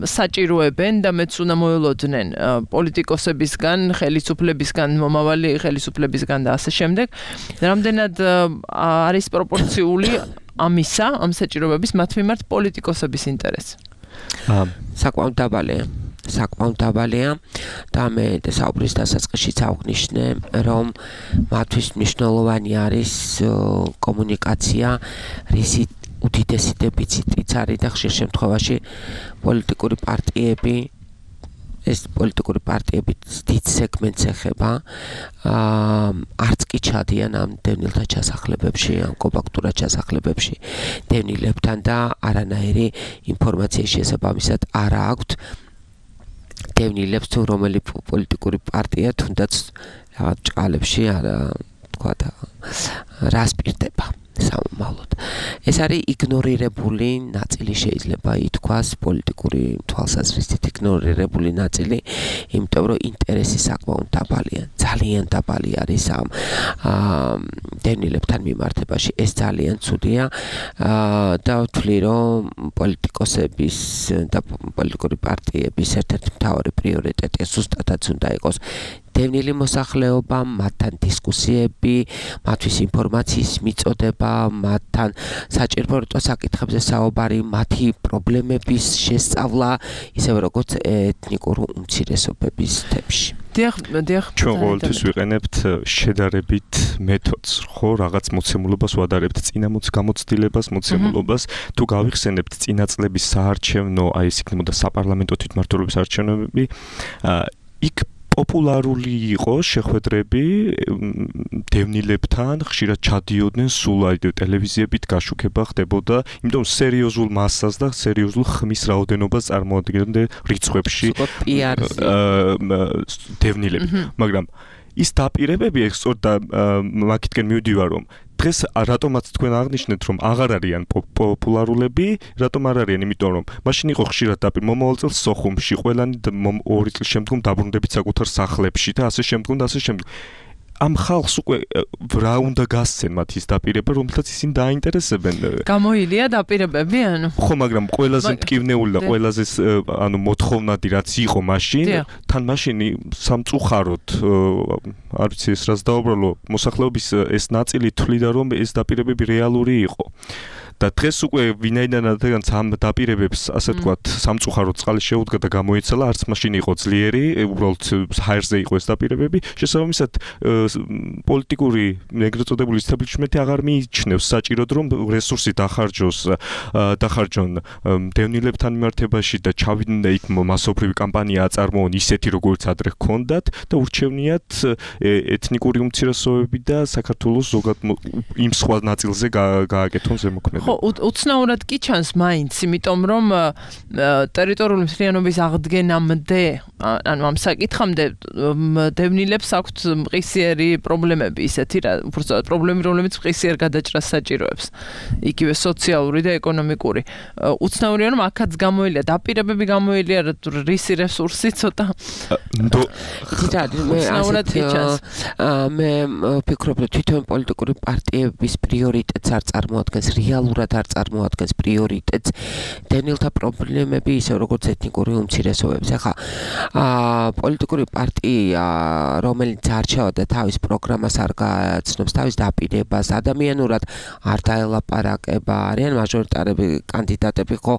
საჭიროებენ და მეც უნდა მოელოდნენ პოლიტიკოსებისგან, ხელისუფლებისგან, მომავალი ხელისუფლებისგან და ასე შემდეგ. რამდენად არის პროპორციული ამისა, ამ საჭიროებების მათ მიმართ პოლიტიკოსების ინტერესი? საკმაოდ დაბალია და მე საუბრის დასაწყისშიც აღნიშნე, რომ მათთვის მნიშვნელოვანი არის კომუნიკაცია, უდიდესი დეფიციტიც არის და ხშირ შემთხვევაში პოლიტიკური პარტიები ეს პოლიტიკური პარტიები დიდ სეგმენტს ეხება არც კი ჩადიან ამ დევნილთა ჩასახლებებში ამ კომპაქტურად ჩასახლებებში დევნილებთან და არანაირი ინფორმაციის შესაბამისად არ აქვთ დევნილებს თუ რომელი პოლიტიკური პარტია თუნდაც რაღაც ჭყალებში არა თქვა და რას პირდება სამომავლოდ ეს არის იგნორირებული ნაწილი შეიძლება ითქვას პოლიტიკური თვალსაზრისით იგნორირებული ნაწილი იმიტომ რომ ინტერესი საკმაოდ დაბალია ძალიან დაბალი არის ამ დევნილებთან მიმართებაში ეს ძალიან ცუდია და ვთვლი რომ პოლიტიკოსების და პოლიტიკური პარტიების ერთ-ერთი მთავარი პრიორიტეტი ზუსტადაც უნდა იყოს დევნილი მოსახლეობა, მათთან დისკუსიები, მათთვის ინფორმაციის მიწოდება, მათთან საჭიროებო საკითხებზე საუბარი, მათი პრობლემების შესწავლა, ისევე როგორც ეთნიკური უმცირესობების თემში. დიახ. ჩვენ ყოველთვის ვიყენებთ შედარებით მეთოდს, ხო, რაღაც მოცემულობას ვადარებთ, გამოცდილებას, მოცემულობას, თუ გავიხსენებთ წინა წლების საარჩევნო, აი ეს იქნებოდა საპარლამენტო თვითმმართველობის არჩევნები, იქ პოპულარული იყო შეხვედრები დევნილებთან, ხშირად ჩადიოდნენ სულ აი ტელევიზიებით გაშუქება ხდებოდა, იმიტომ სერიოზულ მასას და სერიოზულ ხმის რაოდენობას წარმოადგენდნენ რიცხვებში დევნილები, მაგრამ ის დაპირებები სწორედ მაგითკენ მივდივარ რომ დღეს რატომაც თქვენ აღნიშნეთ რომ აღარ არიან პოპულარულები, რატომ არ არიან, იმიტომ რომ მაშინ იყო ხშირად მომავალ წელს სოხუმში, ყველანი 2 წლის შემდგომ დაბრუნდებით საკუთარ სახლებში და ასე შემდგომ და ასე შემდგომ. ამ ხალხს უკვე რა უნდა გასცენ მათ ის დაპირება, რომელთაც ისინი დაინტერესებენ. გამოილია დაპირებები, ანუ. ხო, მაგრამ ყველაზე მტკივნეული და ყველაზე ანუ მოთხოვნადი რაც იყო მაშინ, თან მაშინი სამწუხაროდ არ ვიცი ეს რას დაუბრალო, მოსახლეობის ეს ნაწილი თვლიდა რომ ეს დაპირებები რეალური იყო. და დღეს უკვე ვინაიდანაც ამ დაპირებებს ასე ვთქვათ სამწუხაროდ წყალი შეუდგა და გამოიცალა, არც მაშინ იყო ძლიერი, უბრალოდ ჰაერზე იყო ეს დაპირებები. შესაბამისად პოლიტიკური ეგრეთ წოდებული establishment-ი აღარ მიიჩნევს საჭიროდ რომ რესურსი დახარჯონ დევნილებთან მიმართებაში და ჩავიდნენ და იქ მასობრივი კამპანია აწარმოონ ისეთი როგორც ადრე ჰქონდათ და ურჩევნიათ ეთნიკური უმცირესობები და საქართველოს ზოგად იმ სხვა ნაწილზე გააკეთონ ზემოქმედება. ხო, უცნაურად კი ჩანს მაინც, იმიტომ რომ ტერიტორიული მთლიანობის აღდგენამდე, ანუ ამ საკითხამდე დევნილებს აქვთ მყისიერი პრობლემები, ისეთი რა, უბრალოდ პრობლემები, რომლებიც მყისიერ გადაჭრას საჭიროებს. იგივე სოციალური და ეკონომიკური. უცნაურია რომ აქაც გამოილია, დაპირებები გამოილია, რისი რესურსი ცოტა. მე ვფიქრობ, რომ თვითონ პოლიტიკური პარტიების პრიორიტეტს არ წარმოადგენს რეალურად არ წარმოადგენს პრიორიტეტს დევნილთა პრობლემები ისე როგორც ეთნიკური უმცირესობების. ახლა პოლიტიკური პარტია რომელიც არჩევა და თავის პროგრამას არ გააცნობს, თავის დაპირებას, ადამიანურად არ დაელაპარაკება, არიან მაჟორიტარები კანდიდატები ხო,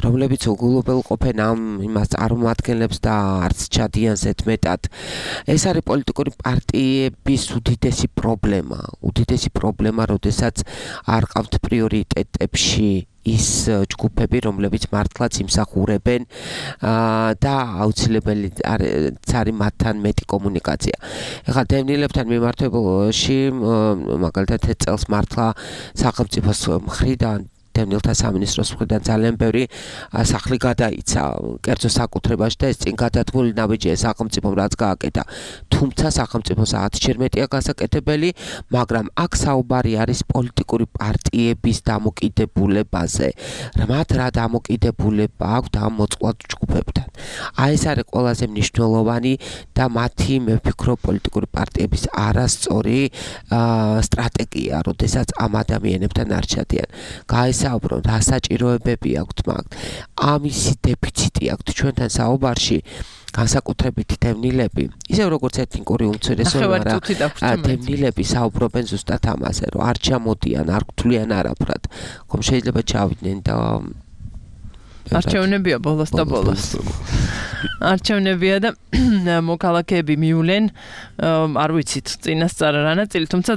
რომლებიც უგულობელყოფენ ამ იმას წარმომადგენლებს და არც ჩადიან ზედმეტად. ეს არის პოლიტიკური პარტიების უდიდესი პრობლემა, როდესაც არ ყავთ პრიორიტეტებში ის ჯგუფები, რომლებიც მართლაც იმსახურებენ და აუცილებელი არის მათთან მეტი კომუნიკაცია. ეხლა დევნილებთან მიმართებაში მაგალითად ეს წელს მართლა სახელმწიფოს მხრიდან დევნილთა სამინისტროს მხრიდან ძალიან ბევრი სახლი გადაიცა კერძო საკუთრებაში და ეს წინ გადადგმული ნაბიჯია სახელმწიფომ რაც გააკეთა. თუმცა სახელმწიფო საათჯერ მეტია გასაკეთებელი, მაგრამ აქ საუბარი არის პოლიტიკური პარტიების დამოკიდებულებაზე. მათ რა დამოკიდებულება აქვთ ამ მოწყვლად ჯგუფებთან. აი ეს არის ყველაზე მნიშვნელოვანი და მათი მე ვფიქრობ პოლიტიკური პარტიების არასწორი სტრატეგია, როდესაც ამ ადამიანებთან არ ჩადიან. საუბრობ, რა საჭიროებები აქვთ მაგ. ამისი დეფიციტი აქვთ ჩვენთან საუბარში. განსაკუთრებით დევნილები, ისევ როგორც ეთნიკური უმცირესობები, დევნილები საუბრობენ ზუსტად ამაზე, რომ არ ჩამოდიან, არ გთვლიან არაფრად. ხომ შეიძლება ჩავიდნენ და არჩევნებია ბოლოს და ბოლოს. არჩევნებია და მოქალაქეები მივლენ არ ვიცით წინასწარ რა ნაწილი, თუმცა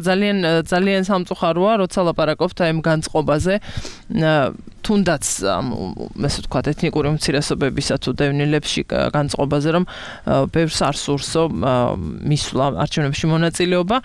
ძალიან სამწუხაროა, როცა ლაპარაკობთ აი ამ განწყობაზე, თუნდაც ესე ვთქვათ ეთნიკური უმცირესობებისა თუ დევნილებში განწყობაზე, რომ ბევრს არ სურსო მისვლა არჩევნებში მონაწილეობა.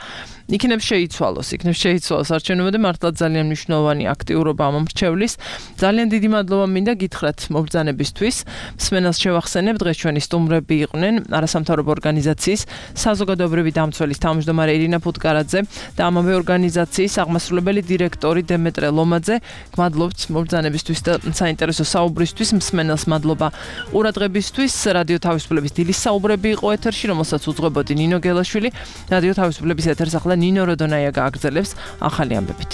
იქნებ შეიცვალოს არჩევნებამდე და მართლა ძალიან მნიშვნელოვანი აქტიურობა ამ მრჩევლის. ძალიან დიდი მადლობა მინდა გითხრათ მობრძანებისთვის. მსმენელს შევახსენებ, დღეს ჩვენი სტუმრები იყვნენ არასამთავრობო ორგანიზაციის საზოგადოებრივი დამცველის თავმჯდომარე ირინა ფუტკარაძე და ამავე ორგანიზაციის აღმასრულებელი დირექტორი დემეტრე ლომაძე. გმადლობთ მობრძანებისთვის და საინტერესო საუბრისთვის. მსმენელს მადლობა ყურადღებისთვის. რადიო თავისუფლების დილის საუბრები იყო ეთერში, რომელსაც უძღვებოდი ნინო გელაშვილი. რადიო თავისუფლების ეთერს ახლა ნინო როდონაია გააგრძელებს ახალი ამბებით.